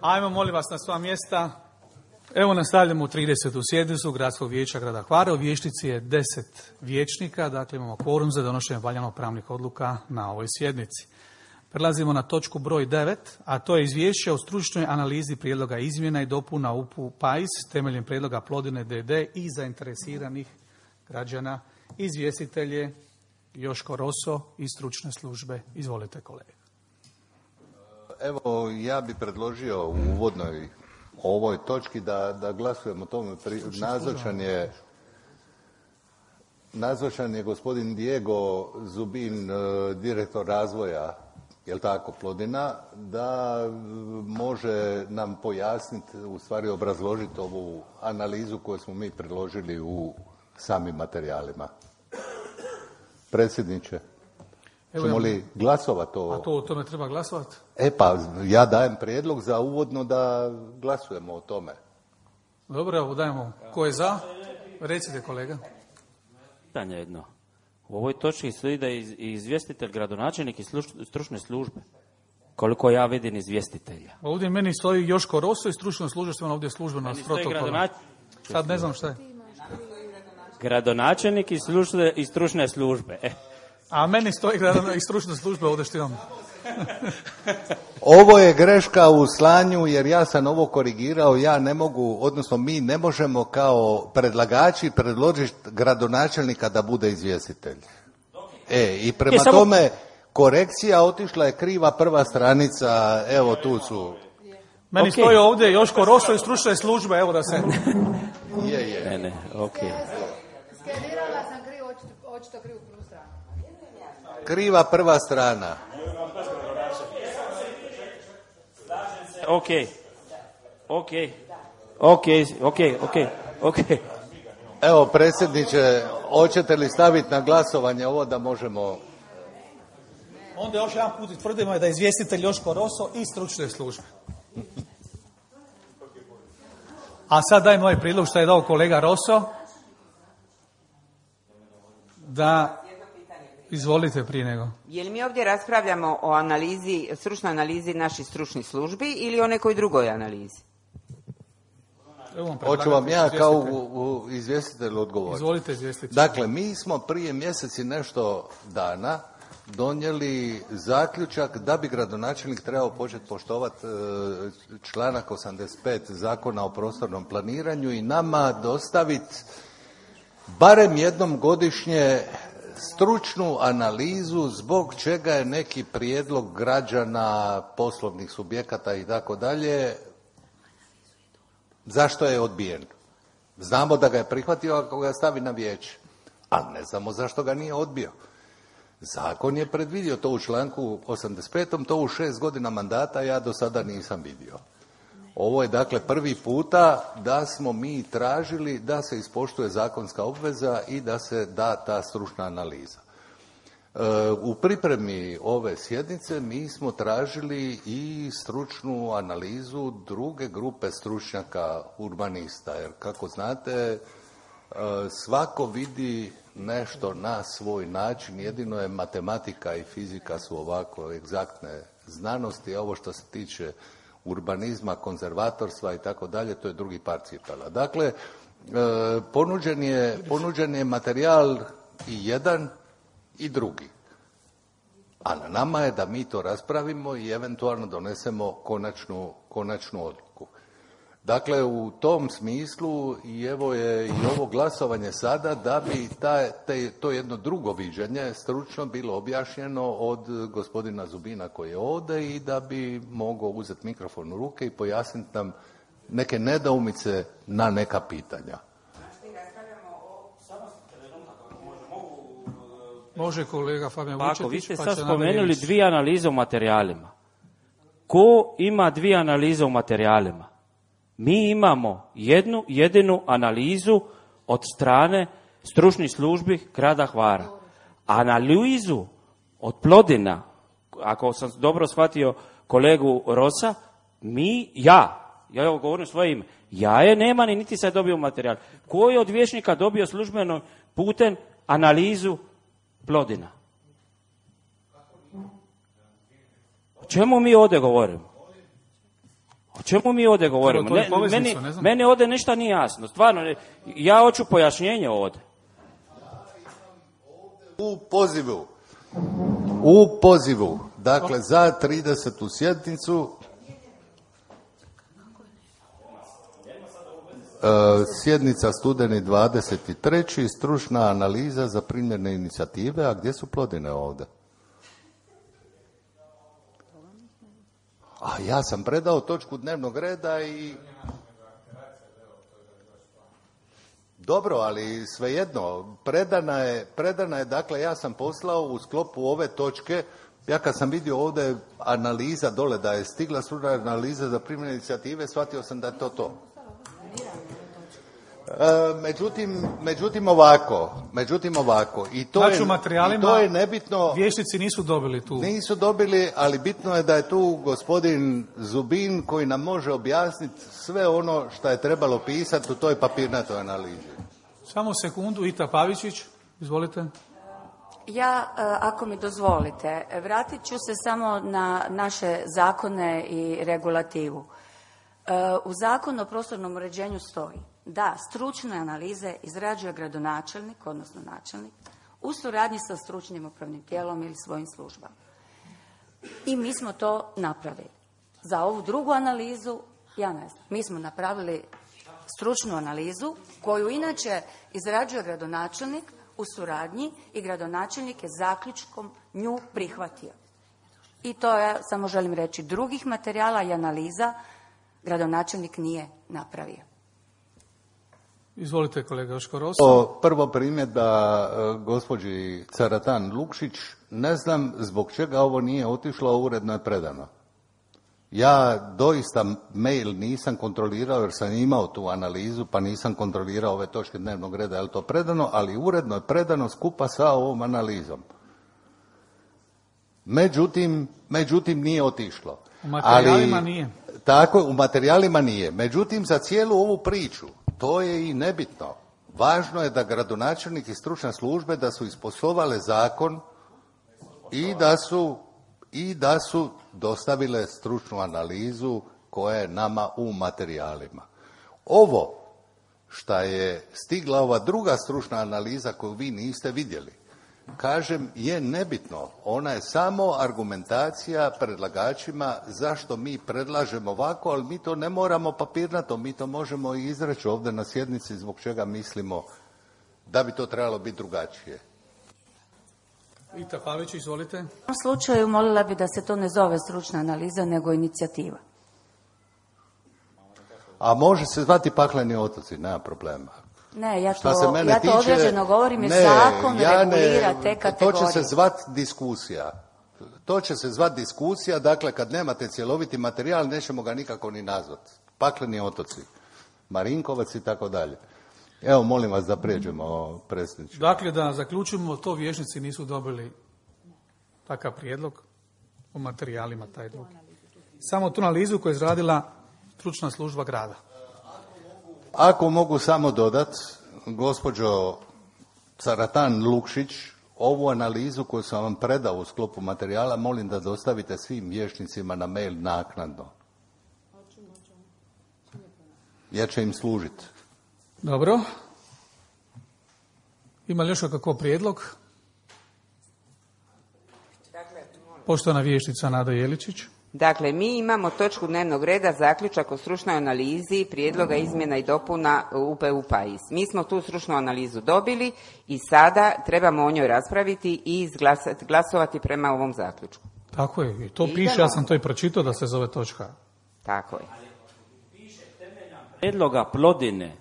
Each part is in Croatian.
Ajmo, molim vas, na sva mjesta. Evo nastavljamo u 30. sjednicu Gradskog vijeća grada Hvara. U vijećnici je 10 vijećnika, dakle imamo kvorum za donošenje valjano pravnih odluka na ovoj sjednici. Prelazimo na točku broj 9, a to je izvješće o stručnoj analizi prijedloga izmjena i dopuna UPU PAIS temeljem prijedloga Plodine DD i zainteresiranih građana. Izvjestitelj je Joško Roso iz stručne službe. Izvolite, kolega. Evo, ja bih predložio u uvodnoj ovoj točki da glasujemo o tome. Nazočan je gospodin Diego Zubin, direktor razvoja, jel tako, Plodina, da može nam pojasniti, u stvari obrazložiti ovu analizu koju smo mi predložili u samim materijalima. Predsjedniče, ćemo li glasovati o... A to o tome treba glasovati? Pa ja dajem prijedlog za uvodno da glasujemo o tome. Dobro, evo dajemo. Ko je za? Recite, kolega. Pitanje jedno. U ovoj točki stoji da je izvjestitelj gradonačelnik i stručne službe. Koliko ja vidim izvjestitelja. Ovdje meni stoji Joško Roso i stručna služba, što je ovdje službeno s protokola. Sad ne znam šta je. Gradonačelnik i stručne službe. A meni stoji i stručne službe ovdje što imam. Ovo je greška u slanju, jer ja sam ovo korigirao, ja ne mogu, odnosno mi ne možemo kao predlagači predložiti gradonačelnika da bude izvjestitelj. I prema tome korekcija, otišla je kriva prva stranica, evo tu su. Meni stoji ovdje Joško Roso i stručne službe, evo da se... Je. Ne, okej. Skenirala sam očito krivu prvu stranu. Kriva prva strana. Ok. Evo, predsjedniče, hoćete li staviti na glasovanje ovo da možemo... Onda još jedan put tvrdimo da je izvjestitelj Joško Roso i stručne službe. A sad dajem ovaj prijedlog što je dao kolega Roso. Da... Izvolite prije nego. Je li mi ovdje raspravljamo o analizi, stručnoj analizi naših stručnih službi ili o nekoj drugoj analizi? Hoću vam ja kao izvjestitelj odgovoriti. Izvolite, izvjestitelj. Dakle, mi smo prije mjeseci nešto dana donijeli zaključak da bi gradonačelnik trebao početi poštovati članak 85 Zakona o prostornom planiranju i nama dostaviti barem jednom godišnje stručnu analizu zbog čega je neki prijedlog građana, poslovnih subjekata i tako dalje, zašto je odbijen. Znamo da ga je prihvatio ako ga stavi na vijeće, a ne znamo zašto ga nije odbio. Zakon je predvidio to u članku 85. To u 6 godina mandata ja do sada nisam vidio. Ovo je dakle prvi puta da smo mi tražili da se ispoštuje zakonska obveza i da se da ta stručna analiza. U pripremi ove sjednice mi smo tražili i stručnu analizu druge grupe stručnjaka urbanista, jer kako znate svako vidi nešto na svoj način, jedino je matematika i fizika su ovako egzaktne znanosti, a ovo što se tiče urbanizma, konzervatorstva i tako dalje, to je drugi par cipela. Dakle, ponuđen je materijal i jedan i drugi. A na nama je da mi to raspravimo i eventualno donesemo konačnu odluku. Dakle, u tom smislu i evo je i ovo glasovanje sada da bi to jedno drugo viđenje stručno bilo objašnjeno od gospodina Zubina koji je ovdje i da bi mogao uzeti mikrofon u ruke i pojasniti nam neke nedoumice na neka pitanja. Može kolega Fabijan Vučetić. Ako vi ste sad spomenuli dvije analize u materijalima. Ko ima dvije analize u materijalima? Mi imamo jednu jedinu analizu od strane stručnih službi grada Hvara. Analizu od Plodina, ako sam dobro shvatio kolegu Rosa, ja ovo govorim svoje ime, ja je nema ni niti sad dobio materijal. Ko je od vijećnika dobio službeno putem analizu Plodina? O čemu mi ovdje govorimo? O čemu mi ovdje govorimo? To je poveznica, ne znam. Meni ovdje ništa nije jasno. Stvarno, ja hoću pojašnjenje ovdje. U pozivu, dakle za 30. sjednicu, sjednica studeni 23. stručna analiza za primjerne inicijative, a gdje su Plodine ovdje? A ja sam predao točku dnevnog reda i... Dobro, ali svejedno, predana je, dakle, ja sam poslao u sklopu ove točke, ja kad sam vidio ovdje analiza dole, da je stigla stručna analiza za primjene inicijative, shvatio sam da je to. Međutim ovako, i to je nebitno. Vijećnici nisu dobili tu. Nisu dobili, ali bitno je da je tu gospodin Zubin koji nam može objasniti sve ono što je trebalo pisati u toj papirnatoj analizi. Samo sekundu, Ita Pavičić, izvolite. Ja, ako mi dozvolite, vratit ću se samo na naše zakone i regulativu. U Zakonu o prostornom uređenju stoji da stručne analize izrađuje gradonačelnik, odnosno načelnik, u suradnji sa stručnim upravnim tijelom ili svojim službama. I mi smo to napravili. Za ovu drugu analizu, ja ne znam, mi smo napravili stručnu analizu koju inače izrađuje gradonačelnik u suradnji i gradonačelnik je zaključkom nju prihvatio. I to ja samo želim reći, drugih materijala i analiza gradonačelnik nije napravio. Izvolite, kolega Joško Rosa. Prvo primjedba gospođi Caratan Lukšić, ne znam zbog čega ovo nije otišlo, a uredno je predano. Ja doista mail nisam kontrolirao jer sam imao tu analizu, pa nisam kontrolirao ove točke dnevnog reda, je li to predano, ali uredno je predano skupa sa ovom analizom. Međutim nije otišlo. U materijalima nije. Tako, u materijalima nije. Međutim, za cijelu ovu priču, to je i nebitno. Važno je da gradonačelnik i stručne službe da su isposlovale zakon i da su dostavile stručnu analizu koja je nama u materijalima. Ovo šta je stigla ova druga stručna analiza koju vi niste vidjeli, kažem, je nebitno. Ona je samo argumentacija predlagačima zašto mi predlažemo ovako, ali mi to ne moramo papirnato, mi to možemo i izreći ovdje na sjednici zbog čega mislimo da bi to trebalo biti drugačije. Ita Pavić, izvolite. U ovom slučaju molila bi da se to ne zove stručna analiza, nego inicijativa. A može se zvati Pakleni otoci, nema problema. Ne, ja to određeno govorim jer zakon regulira te kategorije. To će se zvati diskusija. To će se zvati diskusija, dakle kad nemate cjeloviti materijal nećemo ga nikako ni nazvati. Pakleni otoci, Marinkovac i tako dalje. Evo, molim vas da prijeđemo, predsjedniče. Dakle, da zaključimo, to vijećnici nisu dobili takav prijedlog u materijalima taj drugi. Samo tu analizu koju je izradila stručna služba grada. Ako mogu samo dodati, gospođo Caratan Lukšić, ovu analizu koju sam vam predao u sklopu materijala, molim da dostavite svim vijećnicima na mail naknadno. Jer će im služiti. Dobro. Ima li još kakav prijedlog? Poštovana vijećnica Nada Jeličić. Dakle, mi imamo točku dnevnog reda zaključak o stručnoj analizi prijedloga izmjena i dopuna UPU PAIS. Mi smo tu stručnu analizu dobili i sada trebamo o njoj raspraviti i glasovati prema ovom zaključku. Tako je, i to piše, ja sam to i pročitao da se zove točka. Tako je. Prijedloga Plodine,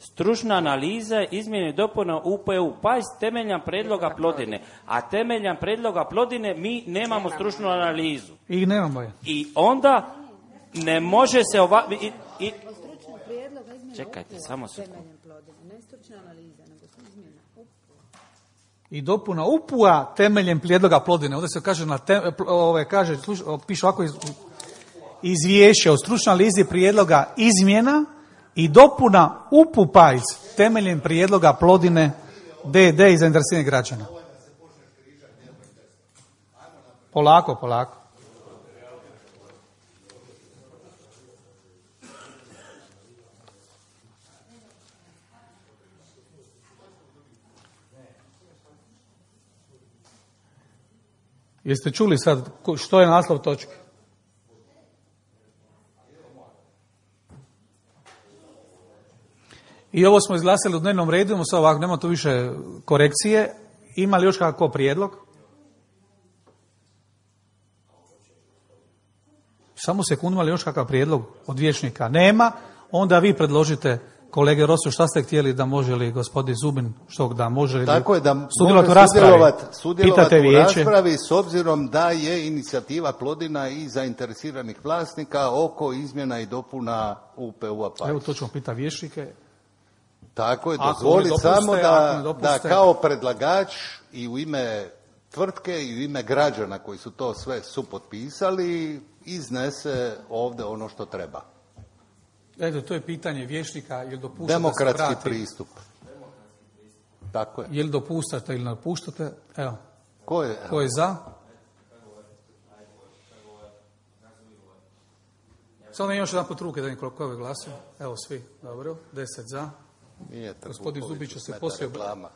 stručna analiza izmjene i dopuna UPU PAIS temeljem prijedloga Plodine, a temeljem prijedloga Plodine mi nemamo stručnu analizu. I nemamo je. I onda ne može se Čekajte, samo sekundu. I dopuna UPU-a temeljem prijedloga Plodine. Ovdje se kaže, piše ovako izvješće o stručnoj analizi prijedloga izmjena i dopuna UPU PAIS temeljem prijedloga Plodine DD i zainteresiranih građana. Polako. Jeste čuli sad što je naslov točke? I ovo smo izglasali u dnevnom redu, sad ovako, nema tu više korekcije. Ima li još kakav prijedlog? Samo sekundu, ima li još kakav prijedlog od vijećnika? Nema. Onda vi predložite, kolege Rosu, šta ste htjeli, da može li gospodin Zubin, što da može li Tako je, da sudjelovati u sudjelovati u raspravi s obzirom da je inicijativa Plodina i zainteresiranih vlasnika oko izmjena i dopuna UPU-a Pais. Evo to ćemo pitati vijećnike. Tako je, Ako dozvoli ne dopuste, samo ako ne dopuste. da kao predlagač i u ime tvrtke i u ime građana koji su to sve supotpisali iznese ovdje ono što treba. Eto, to je pitanje vijećnika, je li dopuštate Demokratski da se vrati? pristup. Tako je. Je li dopuštate ili ne dopuštate? Evo, Ko je? ko je za? Samo još jedan put ruke da im koliko je glasio. Evo svi, dobro, 10 za. Nije Gospodin Zubić će se smeta poslije... reklama.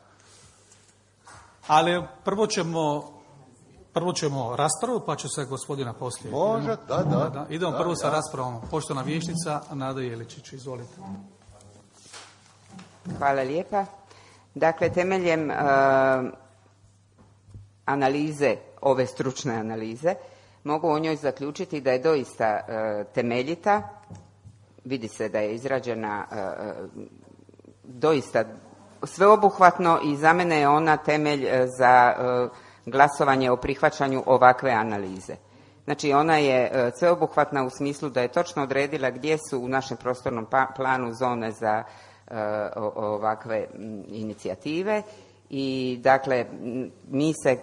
Ali prvo ćemo raspravu, pa će se gospodina poslije. Može, da. Idemo prvo sa raspravom. Poštovana vijećnica Nada Jeličić, izvolite. Hvala lijepa. Dakle, temeljem analize, ove stručne analize, mogu o njoj zaključiti da je doista temeljita, vidi se da je izrađena doista sveobuhvatno i za mene je ona temelj za glasovanje o prihvaćanju ovakve analize. Znači, ona je sveobuhvatna u smislu da je točno odredila gdje su u našem prostornom planu zone za ovakve inicijative i dakle mi se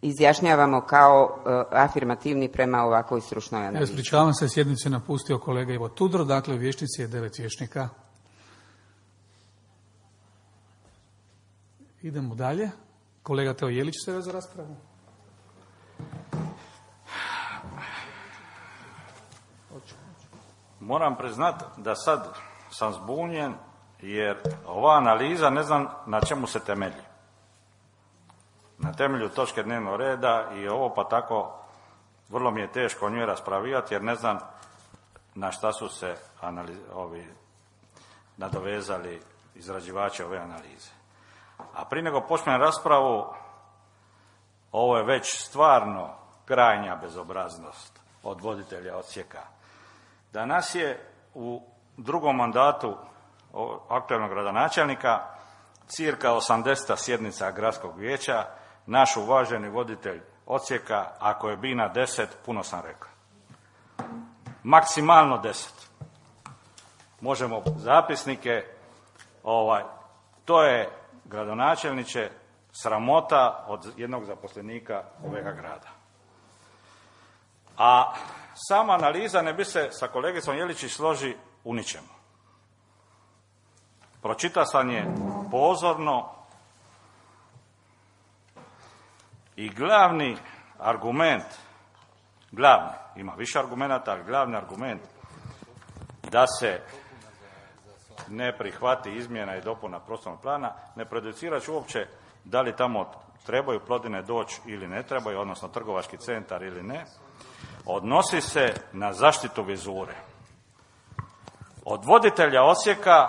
izjašnjavamo kao afirmativni prema ovakvoj stručnoj analizi. Ispričavam se, sjednicu je napustio kolega Ivo Tudor, dakle u vijećnici je 9 vijećnika. Idemo dalje. Kolega Teo Jelić se za raspravu. Moram priznati da sad sam zbunjen jer ova analiza ne znam na čemu se temelji. Na temelju točke dnevnog reda i ovo pa tako vrlo mi je teško o njoj raspravljati jer ne znam na šta su se nadovezali izrađivači ove analize. A prije nego počnem raspravu, ovo je već stvarno krajnja bezobraznost od voditelja odsjeka. Danas je u drugom mandatu aktualnog gradonačelnika cirka 80. sjednica gradskog vijeća, naš uvaženi voditelj odsjeka, ako je bina 10, puno sam rekao. Maksimalno 10. Možemo zapisnike, to je gradonačelniče sramota od jednog zaposlenika ovega grada. A sama analiza ne bi se sa kolegicom Jeličić složi u ničemu. Pročita sam je pozorno i glavni argument, ima više argumenata, ali glavni argument da se ne prihvati izmjena i dopuna prostornog plana, ne prejudicirajući uopće da li tamo trebaju Plodine doći ili ne trebaju, odnosno trgovački centar ili ne, odnosi se na zaštitu vizure. Od voditelja odsjeka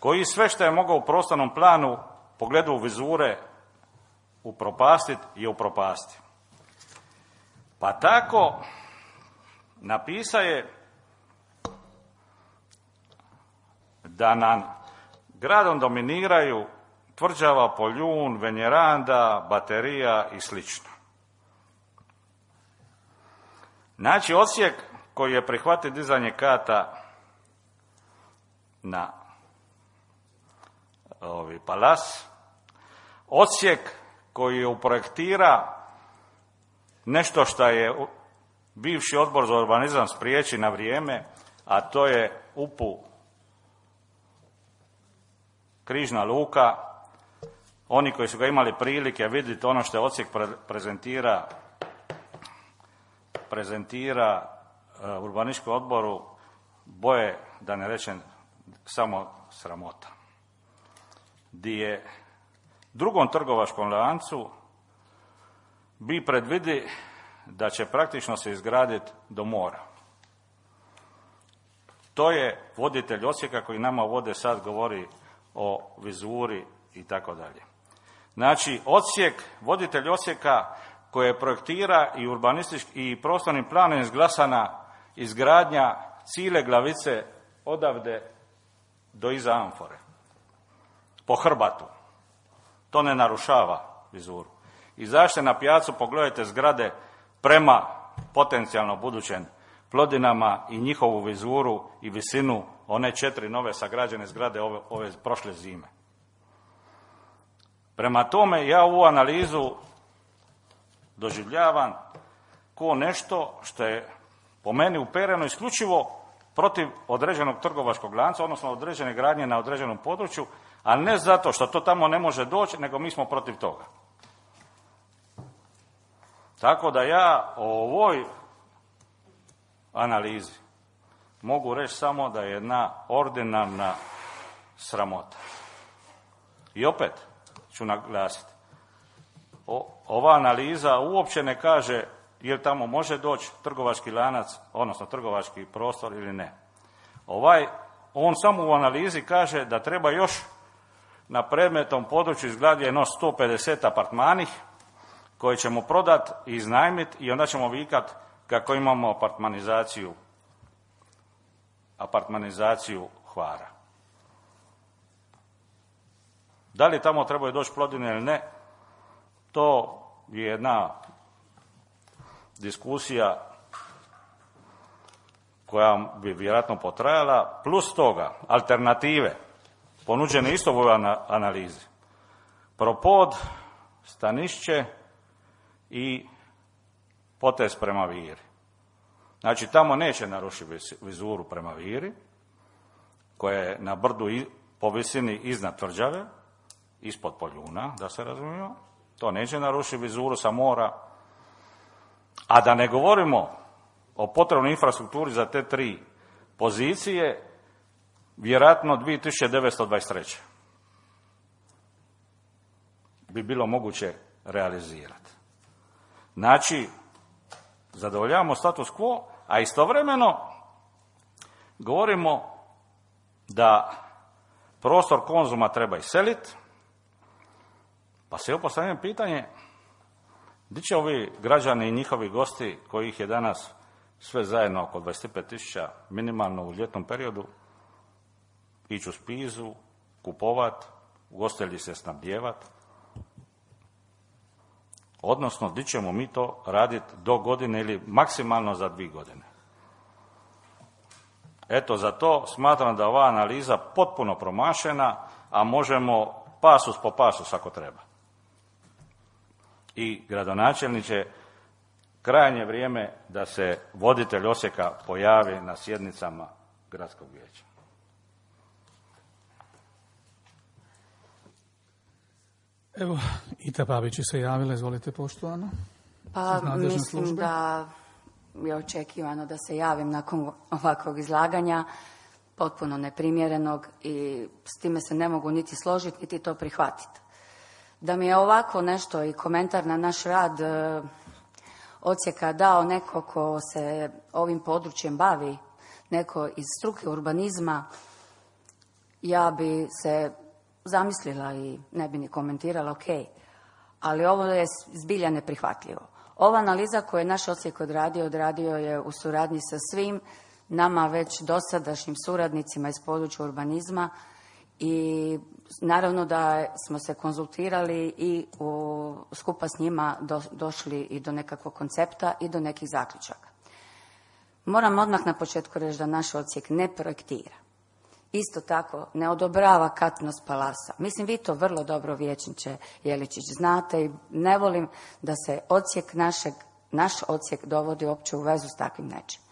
koji sve što je mogao u prostornom planu pogledu vizure upropastiti je upropasti. Pa tako napisa je da nam gradom dominiraju tvrđava, Poljun, Venjeranda, Baterija i slično. Znači, odsjek koji je prihvatio dizanje kata na Palas, odsjek koji je uprojektira nešto što je bivši odbor za urbanizam spriječi na vrijeme, a to je UPU Križna luka. Oni koji su ga imali prilike vidjeti ono što je odsjek prezentira urbanističkom odboru, boje, da ne rečem, samo sramota. Di je drugom trgovačkom lancu bi predvidi da će praktično se izgraditi do mora. To je voditelj Osijeka koji nama vode sad govori o vizuri i tako dalje. Znači, voditelj Osijeka koje projektira i urbanistički i prostornim planom izglasana izgradnja cijele Glavice odavde do iza Amfore. Po hrbatu. To ne narušava vizuru. Izađite na pijacu, pogledajte zgrade prema potencijalno budućem Plodinama i njihovu vizuru i visinu one 4 nove sagrađene zgrade ove prošle zime. Prema tome, ja ovu analizu doživljavam kao nešto što je po meni upereno isključivo protiv određenog trgovačkog lanca, odnosno određene gradnje na određenom području, a ne zato što to tamo ne može doći, nego mi smo protiv toga. Tako da ja o ovoj analizi mogu reći samo da je jedna ordinarna sramota. I opet ću naglasiti, ova analiza uopće ne kaže je li tamo može doći trgovački lanac, odnosno trgovački prostor ili ne. On samo u analizi kaže da treba još na predmetnom području izgraditi jedno 150 apartmanih koje ćemo prodati i iznajmiti i onda ćemo vikati kako imamo apartmanizaciju Hvara. Da li tamo trebaju doći Plodine ili ne, to je jedna diskusija koja bi vjerojatno potrajala, plus toga alternative ponuđene isto u ovoj analizi. Propod, Stanišće i potez prema Viri. Znači, tamo neće narušiti vizuru prema Viri, koja je na brdu po visini iznad tvrđave, ispod Poljuna, da se razumijemo. To neće narušiti vizuru sa mora. A da ne govorimo o potrebnoj infrastrukturi za te 3 pozicije, vjerojatno 2923. bi bilo moguće realizirati. Znači, zadovoljavamo status quo, a istovremeno govorimo da prostor Konzuma treba iseliti, pa se postavljam pitanje, gdje će ovi građani i njihovi gosti, kojih je danas sve zajedno oko 25.000 minimalno u ljetnom periodu, ići u Spizu, kupovat, ugostitelji se snabdjevat, odnosno gdje ćemo mi to raditi do godine ili maksimalno za 2 godine. Eto, za to smatram da ova analiza potpuno promašena, a možemo pasus po pasus ako treba. I gradonačelniče, krajnje vrijeme da se voditelj Osijeka pojavi na sjednicama gradskog vijeća. Evo, Ita Babić se javila, izvolite poštovano. Pa mislim da je očekivano da se javim nakon ovakvog izlaganja, potpuno neprimjerenog, i s time se ne mogu niti složiti, niti to prihvatiti. Da mi je ovako nešto i komentar na naš rad Odsjeka dao neko ko se ovim područjem bavi, neko iz struke urbanizma, ja bi se zamislila i ne bi ni komentirala, ok, ali ovo je zbilja neprihvatljivo. Ova analiza koju je naš Odsjek odradio je u suradnji sa svim nama već dosadašnjim suradnicima iz područja urbanizma i naravno da smo se konzultirali i skupa s njima došli i do nekakvog koncepta i do nekih zaključaka. Moram odmah na početku reći da naš Odsjek ne projektira. Isto tako ne odobrava katnost palasa. Mislim, vi to vrlo dobro, vijećniče Jeličić, znate i ne volim da se naš Odsjek dovodi uopće u vezu s takvim nečim.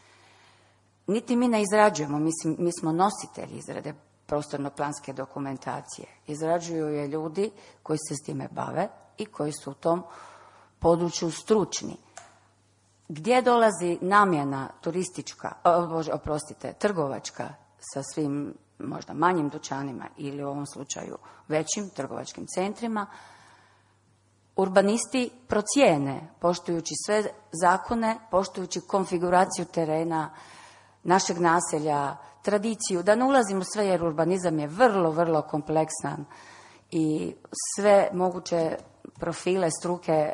Niti mi ne izrađujemo, mi smo nositelji izrade prostorno-planske dokumentacije. Izrađuju je ljudi koji se s time bave i koji su u tom području stručni. Gdje dolazi namjena trgovačka sa svim možda manjim dućanima ili u ovom slučaju većim trgovačkim centrima, urbanisti procijene, poštujući sve zakone, poštujući konfiguraciju terena, našeg naselja, tradiciju, da ne ulazim u sve jer urbanizam je vrlo, vrlo kompleksan i sve moguće profile struke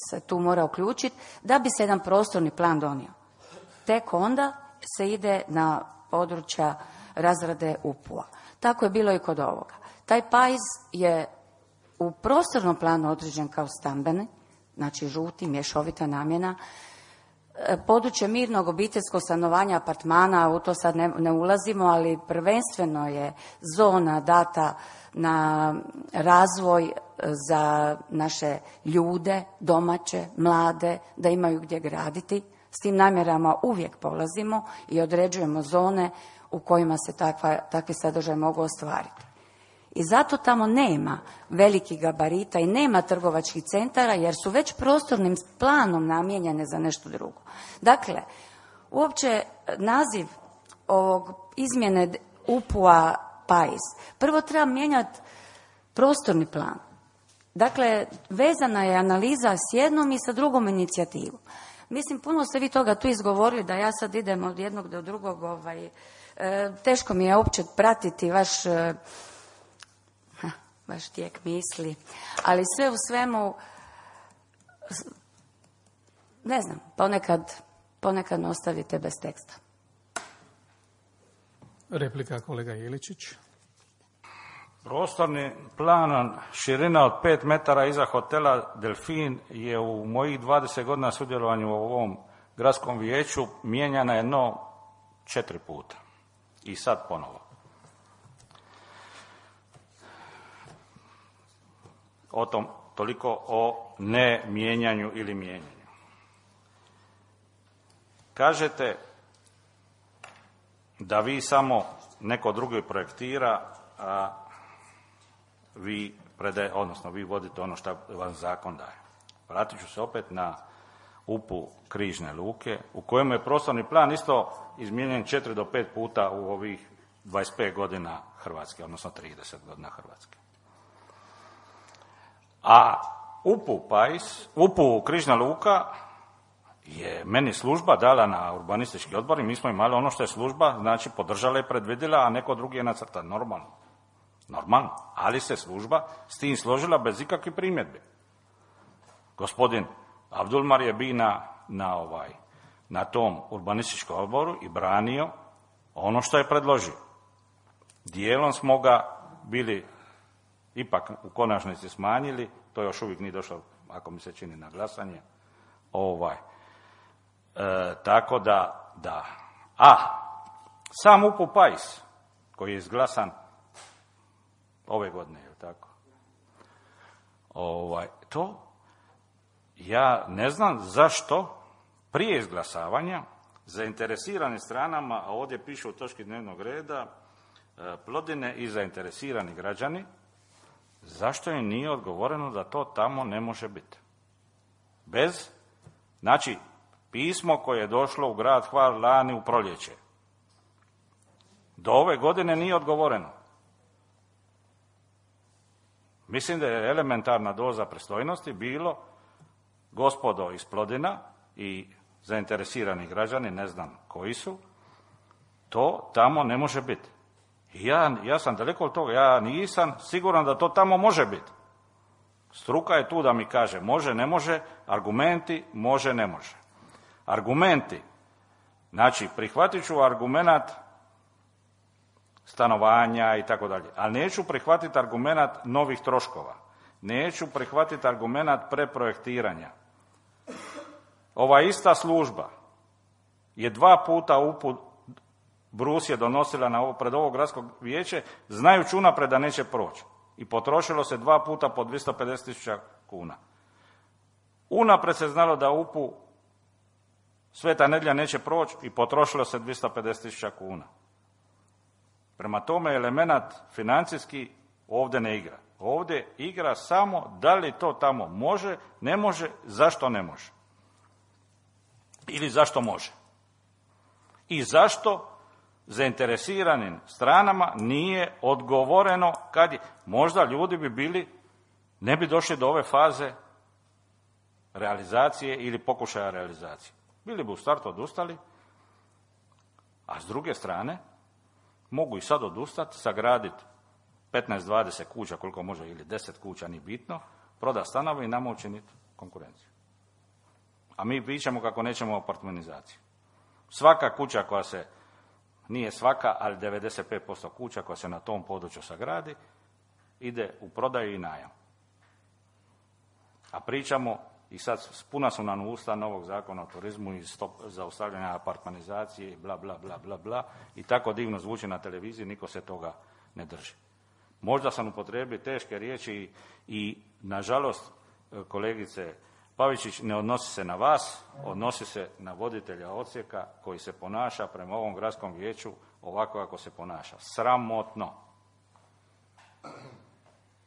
se tu mora uključiti da bi se jedan prostorni plan donio. Tek onda se ide na područja razrade UPU-a. Tako je bilo i kod ovoga. Taj pajz je u prostornom planu određen kao stambeni, znači žuti, mješovita namjena. Područje mirnog obiteljskog stanovanja, apartmana, u to sad ne ulazimo, ali prvenstveno je zona data na razvoj za naše ljude, domaće, mlade, da imaju gdje graditi. S tim namjerama uvijek polazimo i određujemo zone u kojima se takvi sadržaj mogu ostvariti. I zato tamo nema velikih gabarita i nema trgovačkih centara jer su već prostornim planom namijenjene za nešto drugo. Dakle, uopće naziv ovog izmjene UPU-a PAIS, prvo treba mijenjati prostorni plan. Dakle, vezana je analiza s jednom i sa drugom inicijativom. Mislim, puno ste vi toga tu izgovorili da ja sad idem od jednog do drugog. Teško mi je uopće pratiti vaš tijek misli, ali sve u svemu, ne znam, ponekad me ostavite bez teksta. Replika kolega Jeličić. Prostorni plan širina od 5 metara iza hotela Delfin je u mojih 20 godina sudjelovanju u ovom gradskom vijeću mijenjana jedno 4 puta. I sad ponovo. O tom, toliko o ne mijenjanju ili mijenjanju. Kažete da vi samo neko drugi projektira, a vi vodite ono što vam zakon daje. Vratit ću se opet na UPU Križne luke, u kojem je prostorni plan isto izmijenjen 4 do 5 puta u ovih 25 godina Hrvatske, odnosno 30 godina Hrvatske. A UPU Križna luka je meni služba dala na urbanistički odbor i mi smo imali ono što je služba, znači podržala i predvidjela, a neko drugi je nacrta. Normalno, ali se služba s tim složila bez ikakvih primjedbi. Gospodin Abdulmar je bio na tom urbanističkom odboru i branio ono što je predložio. Dijelom smo ga bili ipak u konačnici smanjili, to još uvijek nije došlo, ako mi se čini, na glasanje. Tako da. Sam UPU PAIS, koji je izglasan ove godine, je tako? To ja ne znam zašto prije izglasavanja zainteresiranim stranama, a ovdje piše u točki dnevnog reda, Plodine i zainteresirani građani, zašto im nije odgovoreno da to tamo ne može biti? Znači, pismo koje je došlo u grad Hvar lani u proljeće. Do ove godine nije odgovoreno. Mislim da je elementarna doza pristojnosti bilo, gospodo iz Plodina i zainteresirani građani, ne znam koji su, to tamo ne može biti. Ja sam daleko od toga, ja nisam siguran da to tamo može biti. Struka je tu da mi kaže može, ne može, argumenti može, ne može. Argumenti, znači prihvatit ću argumenat stanovanja i tako dalje, ali neću prihvatiti argumenat novih troškova, neću prihvatiti argumenat preprojektiranja. Ova ista služba je 2 puta UPU Brus je donosila pred ovo gradsko vijeće, znajući unaprijed da neće proći. I potrošilo se 2 puta po 250.000 kuna. Unaprijed se znalo da UPU Sveta Nedjelja neće proći i potrošilo se 250.000 kuna. Prema tome, elemenat financijski ovdje ne igra. Ovdje igra samo da li to tamo može, ne može, zašto ne može. Ili zašto može. I zašto zainteresiranim stranama nije odgovoreno kad je, možda ljudi bi bili ne bi došli do ove faze realizacije ili pokušaja realizacije. Bili bi u startu odustali, a s druge strane mogu i sad odustati, sagraditi 15-20 kuća, koliko može, ili 10 kuća, ni bitno, prodati stanove i nama učiniti konkurenciju. A mi pričamo kako nećemo apartmanizaciju. Svaka kuća koja se, nije svaka, ali 95% kuća koja se na tom području sagradi, ide u prodaju i najam. A pričamo, i sad puna su nam usta novog zakona o turizmu i zaustavljanja apartmanizacije i bla, bla, bla, bla, bla, i tako divno zvuči na televiziji, niko se toga ne drži. Možda sam upotrijebio teške riječi i, nažalost, kolegice Pavičić, ne odnosi se na vas, odnosi se na voditelja odsjeka koji se ponaša prema ovom gradskom vijeću ovako kako se ponaša. Sramotno.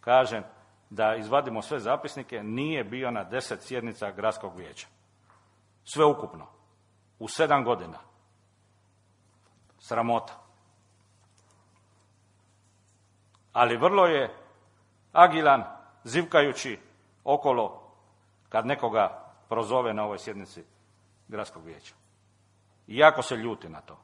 Kažem, da izvadimo sve zapisnike, nije bio na 10 sjednica gradskog vijeća. Sve ukupno. U 7 godina. Sramota. Ali vrlo je agilan, zivkajući okolo kad nekoga prozove na ovoj sjednici gradskog vijeća. I jako se ljuti na to.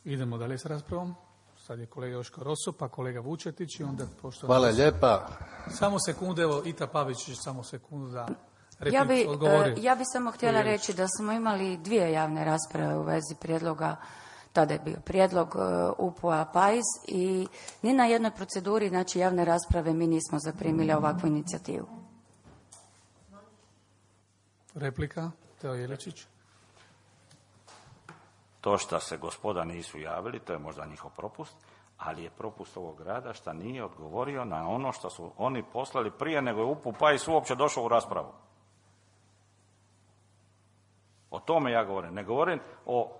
Idemo dalje s raspravom. Sad je kolega Joško Rosso, pa kolega Vučetić i onda pošto... Hvala lijepa. Samo sekunde, evo, Ita Pavičić, samo sekundu da odgovori. Ja bi samo htjela reći da smo imali 2 javne rasprave u vezi prijedloga, tada je bio prijedlog UPU-a PAIS i ni na jednoj proceduri, znači javne rasprave, mi nismo zaprimili ovakvu inicijativu. Replika, Teo Jeličić. To što se gospoda nisu javili, to je možda njihov propust, ali je propust ovog grada što nije odgovorio na ono što su oni poslali prije nego je UPU PAIS uopće došao u raspravu. O tome ja govorim. Ne govorim o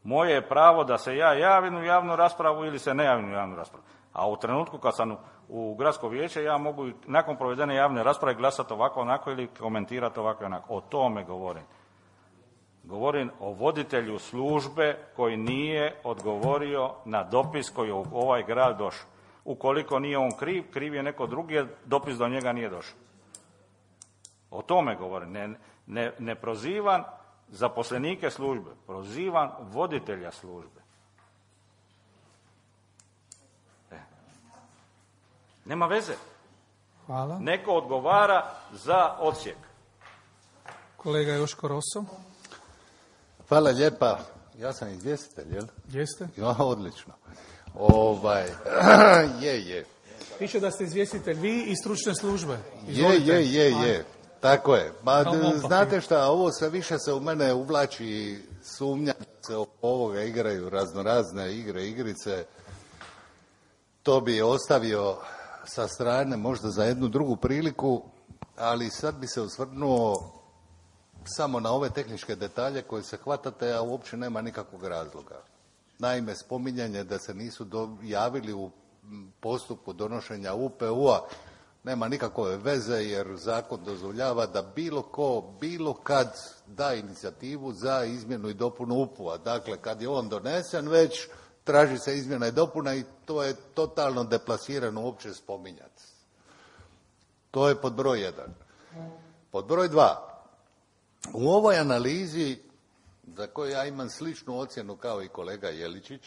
moje je pravo da se ja javim u javnu raspravu ili se ne javim u javnu raspravu. A u trenutku kad sam u gradsko vijeće, ja mogu nakon provedene javne rasprave glasati ovako, onako ili komentirati ovako, onako. O tome govorim. Govorim o voditelju službe koji nije odgovorio na dopis koji je u ovaj grad došao. Ukoliko nije on kriv, kriv je neko drugi, jer dopis do njega nije došao. O tome govorim. Ne prozivam zaposlenike službe, prozivam voditelja službe. Nema veze. Hvala. Neko odgovara za odsjek. Kolega Joško Rosso. Hvala lijepa. Ja sam izvjestitelj, jel? Jeste? Ja, odlično. Je. Piše da ste izvjestitelj vi i stručne službe. Je. Tako je. Znate šta, ovo sve više se u mene uvlači sumnja da se oko ovoga igraju raznorazne igrice. To bi ostavio sa strane možda za jednu drugu priliku, ali sad bi se osvrnuo samo na ove tehničke detalje koje se hvatate, a uopće nema nikakvog razloga. Naime, spominjanje da se nisu javili u postupku donošenja UPU-a nema nikakve veze, jer zakon dozvoljava da bilo ko, bilo kad da inicijativu za izmjenu i dopunu UPU-a. Dakle, kad je on donesen već, traži se izmjena i dopuna i to je totalno deplasirano uopće spominjati. To je pod broj 1. Pod broj 2. U ovoj analizi, za koju ja imam sličnu ocjenu kao i kolega Jeličić,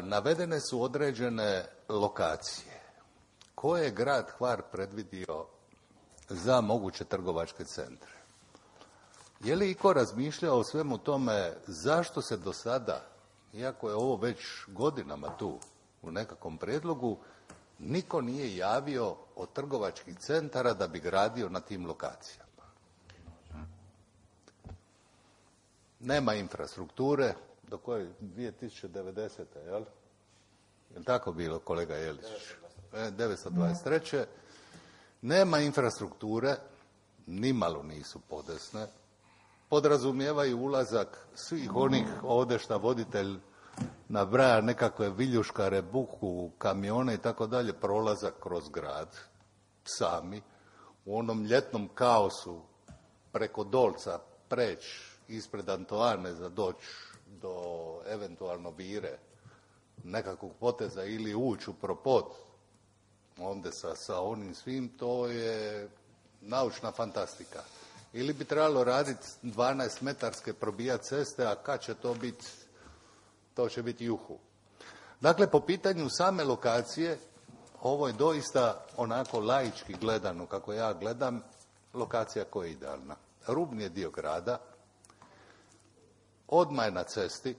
navedene su određene lokacije koje je grad Hvar predvidio za moguće trgovačke centre. Je li iko razmišljao o svemu tome zašto se do sada, iako je ovo već godinama tu u nekakvom prijedlogu, niko nije javio od trgovačkih centara da bi gradio na tim lokacijama? Nema infrastrukture, do koje 2090. jel? Je li tako bilo, kolega Jelić? 923. Nema infrastrukture, nimalo nisu podesne, podrazumijevaju ulazak svih onih ovdje šta voditelj nabraja nekakve viljuškare, buku, kamione i tako dalje, prolazak kroz grad, sami, u onom ljetnom kaosu preko Dolca preći ispred Antoane za doći do eventualno Vire, nekakvog poteza ili ući u propod, onda sa onim svim, to je naučna fantastika. Ili bi trebalo raditi 12-metarske probijat ceste, a kad će to biti? To će biti juhu. Dakle, po pitanju same lokacije, ovo je doista onako laički gledano, kako ja gledam, lokacija koja je idealna. Rubni je dio grada, odmah je na cesti,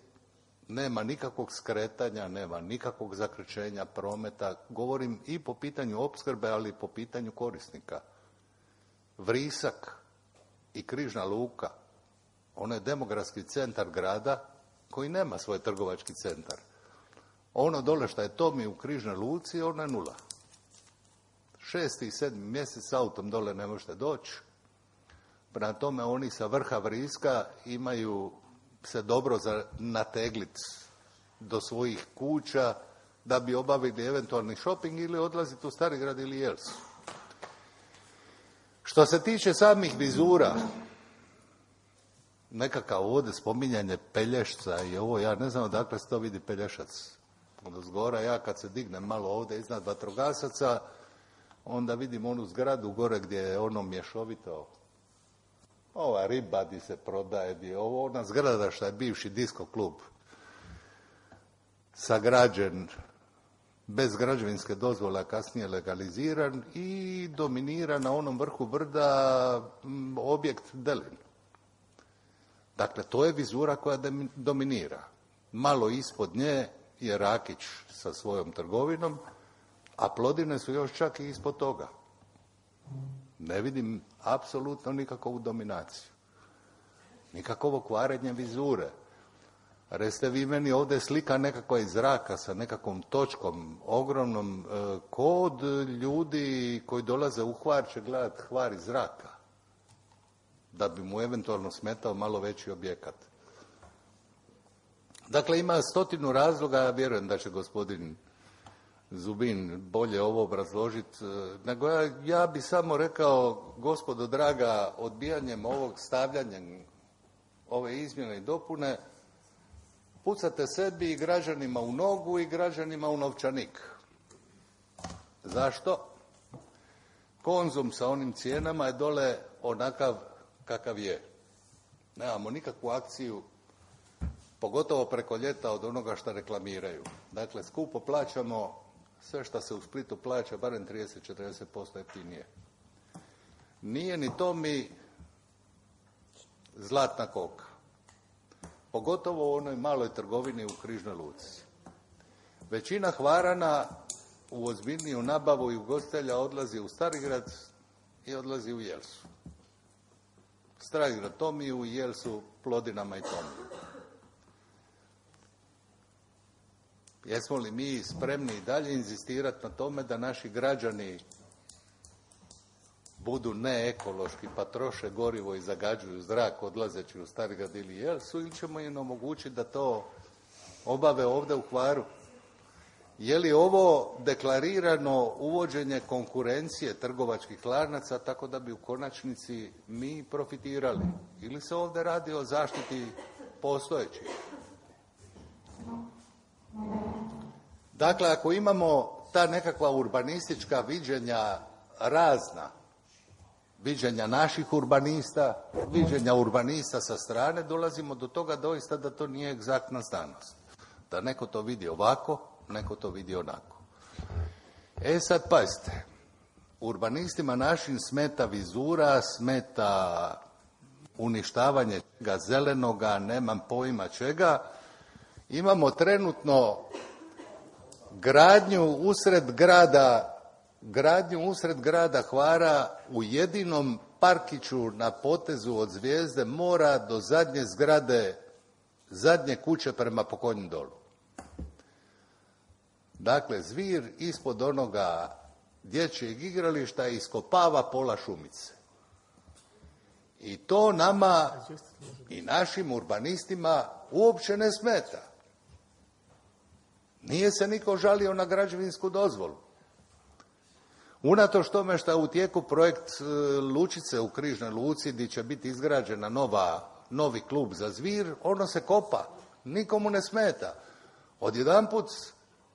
nema nikakvog skretanja, nema nikakvog zakrčenja prometa. Govorim i po pitanju opskrbe, ali i po pitanju korisnika. Vrisak i Križna luka, ono je demografski centar grada koji nema svoj trgovački centar. Ono dole što je Tomi u Križnoj luci, ono je 0. 6. i 7. mjesec autom dole ne možete doći. Prema tome oni sa vrha Vriska imaju se dobro za nateglit do svojih kuća da bi obavili eventualni shopping ili odlaziti u Starigrad ili Jelsu. Što se tiče samih vizura, nekakav ovdje spominjanje Pelješca i ovo, ja ne znam odakle se to vidi Pelješac. Od zgora ja kad se dignem malo ovdje iznad vatrogasaca, onda vidim onu zgradu gore gdje je ono mješovito, ova riba di se prodaje, gdje je ovo ona zgrada što je bivši disko klub, sagrađen bez građevinske dozvole, a kasnije legaliziran i dominira na onom vrhu brda objekt Delin. Dakle, to je vizura koja dominira. Malo ispod nje je Rakić sa svojom trgovinom, a Plodine su još čak i ispod toga. Ne vidim apsolutno nikakvu dominaciju. Nikakvo kvarenje vizure. Recite vi meni ovdje slika nekakva iz zraka sa nekakvom točkom ogromnom, kod ljudi koji dolaze u Hvar će gledati Hvar iz zraka, da bi mu eventualno smetao malo veći objekat. Dakle, ima 100 razloga, ja vjerujem da će gospodin Zubin bolje ovo obrazložiti, nego ja bi samo rekao, gospodo draga, odbijanjem ovog, stavljanjem ove izmjene i dopune, pucate sebi i građanima u nogu i građanima u novčanik. Zašto? Konzum sa onim cijenama je dole onakav kakav je. Nemamo nikakvu akciju, pogotovo preko ljeta, od onoga što reklamiraju. Dakle, skupo plaćamo sve što se u Splitu plaća, barem 30-40% jeftinije. Nije ni to mi zlatna koka. Pogotovo u onoj maloj trgovini u Križnoj luci. Većina Hvarana u ozbiljniju nabavu i ugostitelja odlazi u Starigrad i odlazi u Jelsu. Starigrad Tomiju, Jelsu Plodinama i Tomiju. Jesmo li mi spremni i dalje inzistirati na tome da naši građani budu neekološki pa troše gorivo i zagađuju zrak odlazeći u Starigrad ili Jelsu, ili ćemo im omogućiti da to obave ovdje u Hvaru? Je li ovo deklarirano uvođenje konkurencije trgovačkih lanaca tako da bi u konačnici mi profitirali? Ili se ovdje radi o zaštiti postojećih? Dakle, ako imamo ta nekakva urbanistička viđenja razna, viđenja naših urbanista, viđenja urbanista sa strane, dolazimo do toga doista da to nije egzaktna znanost. Da neko to vidi ovako, neko to vidi onako. Sad pazite, urbanistima našim smeta vizura, smeta uništavanje čega zelenoga, nemam pojma čega. Imamo trenutno gradnju usred grada Hvara u jedinom parkiću na potezu od Zvijezde mora do zadnje zgrade, zadnje kuće prema Pokonjem dolu. Dakle, Zvir ispod onoga dječjeg igrališta iskopava pola šumice. I to nama i našim urbanistima uopće ne smeta. Nije se niko žalio na građevinsku dozvolu. Unatoč tome što je u tijeku projekt lučice u Križnoj luci gdje će biti izgrađena novi klub za Zvir, ono se kopa. Nikomu ne smeta. Odjedanput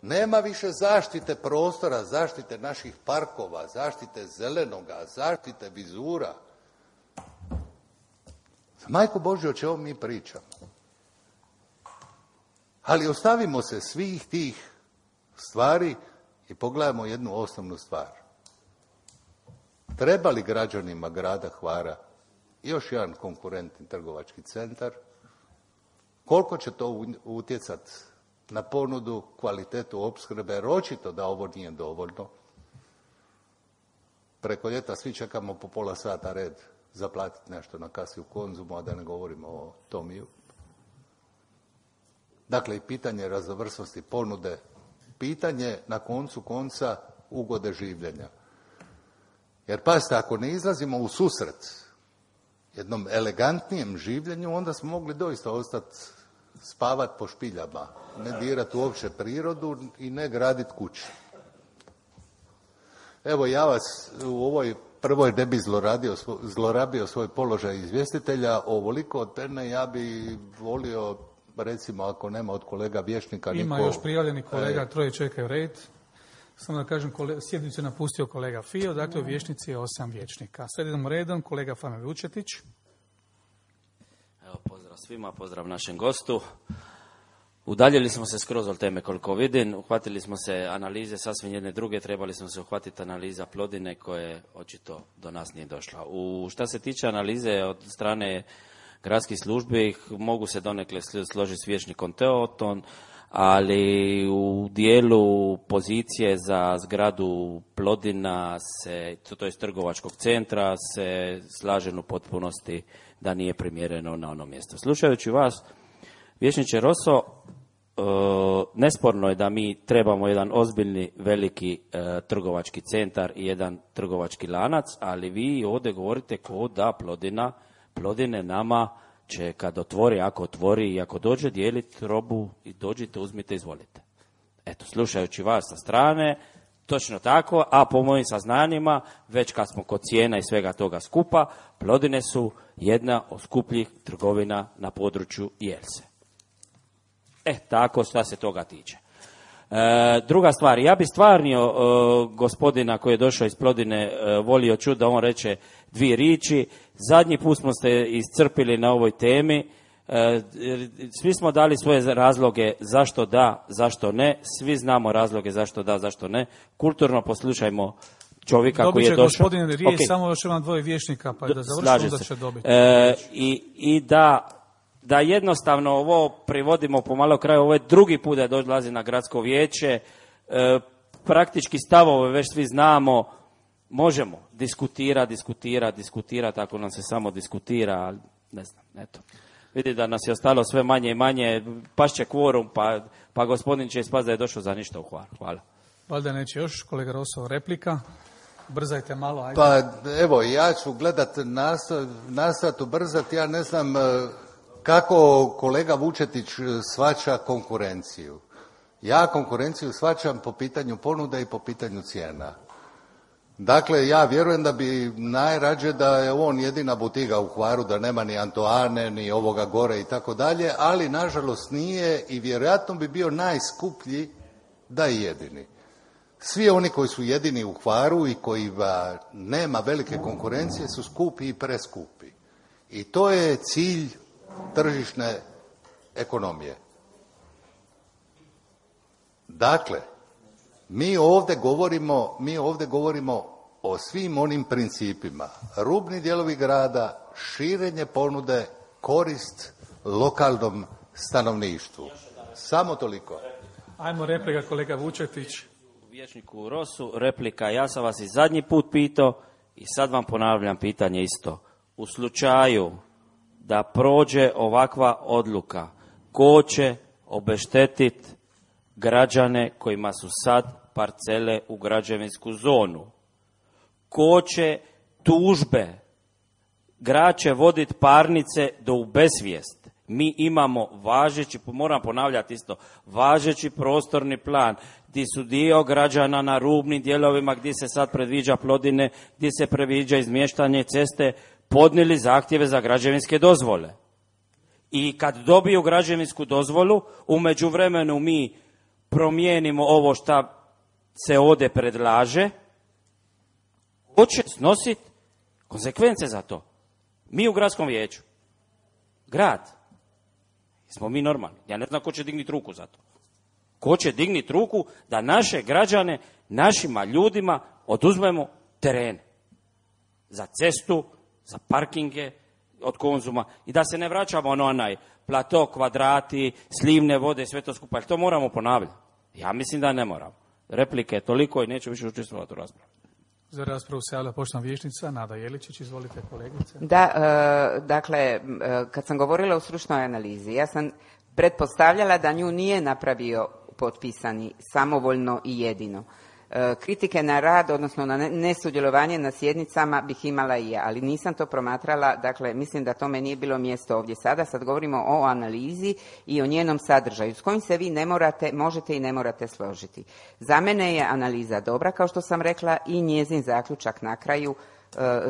Nema više zaštite prostora, zaštite naših parkova, zaštite zelenoga, zaštite vizura. Majko Božje, o čemu mi pričamo? Ali ostavimo se svih tih stvari i pogledajmo jednu osnovnu stvar. Treba li građanima grada Hvara još jedan konkurentni trgovački centar? Koliko će to utjecati na ponudu, kvalitetu opskrbe, jer očito da ovo nije dovoljno. Preko ljeta svi čekamo po pola sata red zaplatiti nešto na kasi u Konzumu, a da ne govorimo o Tomiju. Dakle, i pitanje raznovrsnosti ponude, pitanje na koncu konca ugode življenja. Jer pazite, ako ne izlazimo u susret jednom elegantnijem življenju, onda smo mogli doista ostati spavati po špiljama, ne dirati uopće prirodu i ne graditi kuće. Evo, ja vas u ovoj prvoj ne bi zlorabio svoj položaj izvjestitelja, ovoliko od mene ja bi volio, recimo, ako nema od kolega vijećnika Ima još prijavljeni kolega, troje čekaju red. Samo da kažem, sjednicu je napustio kolega Fio, dakle u vijećnici je 8 vijećnika. Sad idemo redom, kolega Fane Vučetić. Evo, pozdrav svima, pozdrav našem gostu. Udaljili smo se skroz od teme koliko vidim, uhvatili smo se analize sasvim jedne druge, trebali smo se uhvatiti analiza Plodine koje očito do nas nije došla. Šta se tiče analize od strane gradskih službi, mogu se donekle složiti s vijećnikom Teoton, ali u dijelu pozicije za zgradu Plodina, to je trgovačkog centra, se slažem u potpunosti da nije primjereno na ono mjesto. Slušajući vas, vijećniče Roso, nesporno je da mi trebamo jedan ozbiljni, veliki trgovački centar i jedan trgovački lanac, ali vi ovdje govorite ko da Plodine nama će kad otvori, ako otvori i ako dođe dijeliti robu i dođite, uzmite, izvolite. Eto, slušajući vas sa strane, točno tako, a po mojim saznanjima, već kad smo kod cijena i svega toga skupa, Plodine su jedna od skupljih trgovina na području Jelse. Tako šta se toga tiče. Druga stvar, ja bi stvarno gospodina koji je došao iz Plodine volio čuti da on reče 2 riječi. Zadnji put smo se iscrpili na ovoj temi. Svi smo dali svoje razloge zašto da, zašto ne. Svi znamo razloge zašto da, zašto ne. Kulturno poslušajmo čovjeka koji je došao. Dobit će gospodin riječ, samo još imam 2 vijećnika, pa da završimo da će dobiti. I da jednostavno ovo privodimo pomalo kraju, ovo je drugi put da dolazi na gradsko vijeće, praktički stavove već svi znamo, možemo diskutirati, ako nam se samo diskutira, ali ne znam, eto. Vidi da nas je ostalo sve manje i manje, pašće kvorum, pa gospodin će ispast da je došao za ništa u Hvar. Hvala. Valjda neće još, kolega Roso, replika. Brzajte malo, ajde. Pa evo, ja ću nastojati ubrzati, ja ne znam kako kolega Vučetić shvaća konkurenciju. Ja konkurenciju shvaćam po pitanju ponude i po pitanju cijena. Dakle, ja vjerujem da bi najrađe da je on jedina butiga u Hvaru, da nema ni Antoane, ni ovoga gore i tako dalje, ali nažalost nije i vjerojatno bi bio najskuplji da je jedini. Svi oni koji su jedini u Hvaru i koji nema velike konkurencije su skupi i preskupi. I to je cilj tržišne ekonomije. Dakle, mi ovdje govorimo o svim onim principima. Rubni dijelovi grada, širenje ponude, korist lokalnom stanovništvu. Samo toliko. Ajmo replika, kolega Vučetić. Vijećniku Rosu, replika. Ja sam vas i zadnji put pitao i sad vam ponavljam pitanje isto. U slučaju da prođe ovakva odluka, ko će obeštetiti građane kojima su sad parcele u građevinsku zonu? Ko će tužbe? Grad će voditi parnice do u besvijest. Mi imamo važeći, moram ponavljati isto, važeći prostorni plan gdje su dio građana na rubnim dijelovima gdje se sad predviđa Plodine, gdje se predviđa izmještanje ceste, podnijeli zahtjeve za građevinske dozvole. I kad dobiju građevinsku dozvolu, u međuvremenu mi promijenimo ovo šta se ovdje predlaže, ko će snositi konsekvence za to? Mi u gradskom vijeću. Grad. Smo mi normalni. Ja ne znam ko će dignuti ruku za to. Ko će dignuti ruku da naše građane, našima ljudima oduzmemo terene. Za cestu, za parkinge od Konzuma. I da se ne vraćamo na onaj plato, kvadrati, slivne vode, sve to skupa. Jer to moramo ponavljati. Ja mislim da ne moramo. Replike je toliko i neću više učestvovati u raspravi. Za raspravu se javlja poštovana vijećnica Nada Jeličić. Izvolite, kolegice. Da, dakle, kad sam govorila o stručnoj analizi, ja sam pretpostavljala da nju nije napravio potpisani samovoljno i jedino. Kritike na rad, odnosno na nesudjelovanje na sjednicama bih imala i ja, ali nisam to promatrala, dakle mislim da tome nije bilo mjesto ovdje sada. Sad govorimo o analizi i o njenom sadržaju s kojim se vi ne morate, možete i ne morate složiti. Za mene je analiza dobra, kao što sam rekla, i njezin zaključak na kraju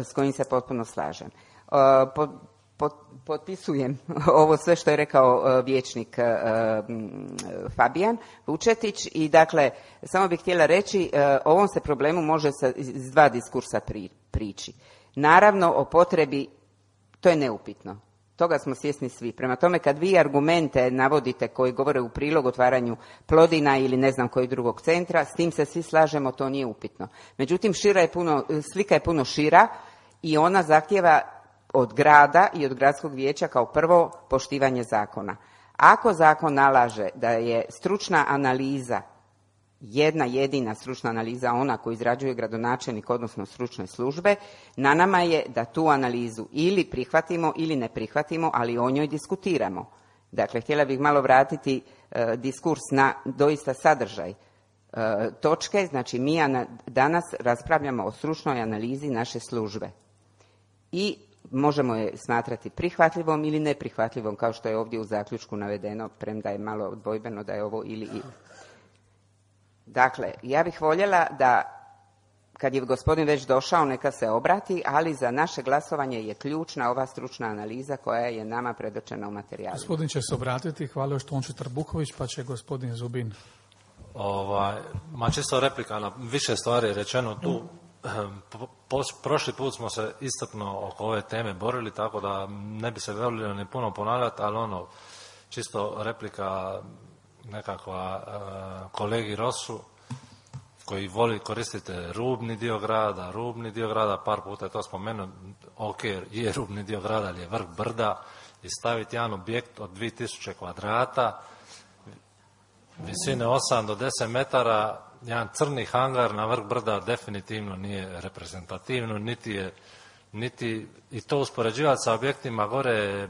s kojim se potpuno slažem. Potpisujem ovo sve što je rekao vijećnik Fabijan Vučetić i dakle samo bih htjela reći o ovom se problemu može iz dva diskursa prići. Naravno o potrebi, to je neupitno, toga smo svjesni svi. Prema tome kad vi argumente navodite koji govore u prilog otvaranju Plodina ili ne znam kojeg drugog centra, s tim se svi slažemo, to nije upitno. Međutim slika je puno šira i ona zahtijeva od grada i od gradskog vijeća kao prvo poštivanje zakona. Ako zakon nalaže da je stručna analiza, jedna jedina stručna analiza, ona koju izrađuje gradonačelnik, odnosno stručne službe, na nama je da tu analizu ili prihvatimo ili ne prihvatimo, ali o njoj diskutiramo. Dakle, htjela bih malo vratiti diskurs na doista sadržaj točke. Znači, mi danas raspravljamo o stručnoj analizi naše službe. I možemo je smatrati prihvatljivom ili neprihvatljivom, kao što je ovdje u zaključku navedeno, premda je malo dvojbeno da je ovo ili. Dakle, ja bih voljela da, kad je gospodin već došao, neka se obrati, ali za naše glasovanje je ključna ova stručna analiza koja je nama predočena u materijalima. Gospodin će se obratiti, hvala još Tonči Trbuković, pa će gospodin Zubin. Čisto replika na više stvari rečeno tu. Prošli put smo se iscrpno oko ove teme borili, tako da ne bi se volio ni puno ponavljati, ali čisto replika nekakva kolegi Rosu, koji voli koristiti rubni dio grada, par puta je to spomenuo, ok, je rubni dio grada, ali je vrh brda, i staviti jedan objekt od 2000 kvadrata, visine 8 do 10 metara, jedan crni hangar na vrh brda definitivno nije reprezentativno, niti i to uspoređivati sa objektima gore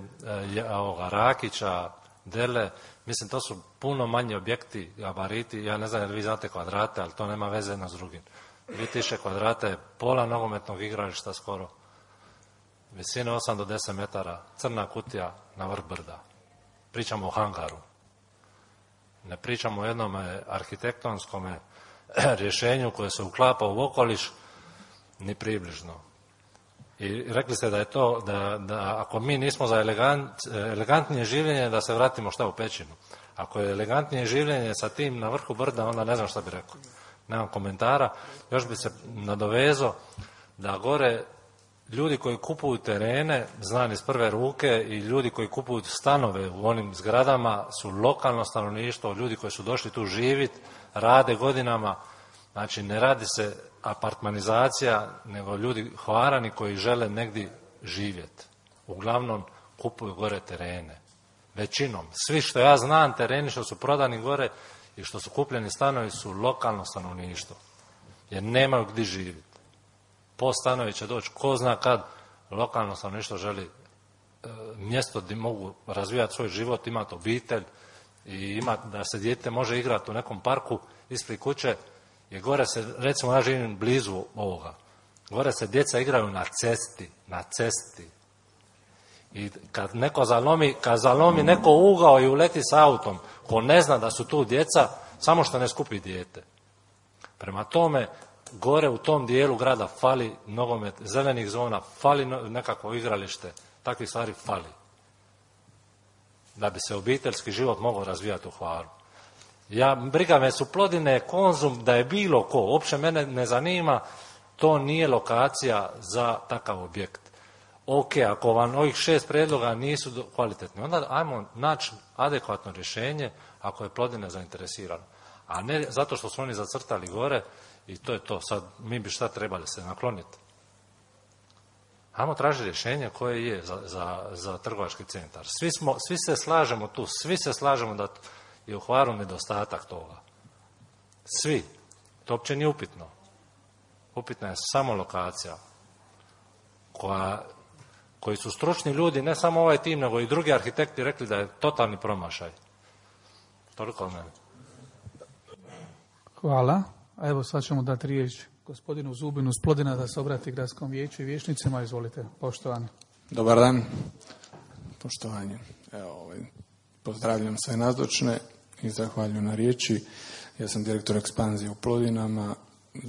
Rakića, Dele, mislim to su puno manji objekti, gabariti, ja ne znam jer vi znate kvadrate, ali to nema veze jedno s drugim. 2000 kvadrata je pola nogometnog igrališta skoro, visine 8 do 10 metara, crna kutija na vrh brda. Pričamo o hangaru. Ne pričamo o jednom arhitektonskom rješenju koje se uklapa u okoliš, ni približno. I rekli ste da je to, da ako mi nismo za elegantnije življenje, da se vratimo šta u pećinu. Ako je elegantnije življenje sa tim na vrhu brda, onda ne znam šta bi rekao. Nemam komentara. Još bi se nadovezao da gore ljudi koji kupuju terene, znam iz prve ruke, i ljudi koji kupuju stanove u onim zgradama su lokalno stanovništvo, ljudi koji su došli tu živjeti, rade godinama. Znači, ne radi se apartmanizacija, nego ljudi Hvarani koji žele negdje živjeti. Uglavnom kupuju gore terene. Većinom. Svi što ja znam, tereni što su prodani gore i što su kupljeni stanovi su lokalno stanovništvo. Jer nemaju gdje živjeti. Po stanovi će doći ko zna kad, lokalno stanovništvo želi mjesto gdje mogu razvijati svoj život, imati obitelj i da se dijete može igrati u nekom parku ispred kuće. Jer gore se, recimo ja živim blizu ovoga, gore se djeca igraju na cesti. I kad zalomi neko ugao i uleti s autom, ko ne zna da su tu djeca, samo što ne skupi dijete. Prema tome, gore u tom dijelu grada fali nogomet, zelenih zona, fali nekakvo igralište, takvih stvari fali. Da bi se obiteljski život mogao razvijati u Hvaru. Briga me su Plodine, Konzum, da je bilo ko, uopće mene ne zanima, to nije lokacija za takav objekt. Ok, ako vam ovih 6 prijedloga nisu kvalitetni, onda ajmo naći adekvatno rješenje ako je Plodine zainteresirano. A ne zato što su oni zacrtali gore i to je to. Sad mi bi šta trebali se nakloniti. Ajmo tražiti rješenje koje je za trgovački centar. Svi se slažemo tu, svi se slažemo da je u Hvaru nedostatak toga. Svi. To uopće nije upitno. Upitna je samo lokacija koji su stručni ljudi, ne samo ovaj tim, nego i drugi arhitekti rekli da je totalni promašaj. Toliko od mene. Hvala. A evo sad ćemo dati riječ gospodinu Zubinu s Plodina da se obrati gradskom vijeću i vijećnicima. Izvolite, poštovani. Dobar dan. Poštovanje. Pozdravljam sve nazočne i zahvaljujem na riječi. Ja sam direktor ekspanzije u Plodinama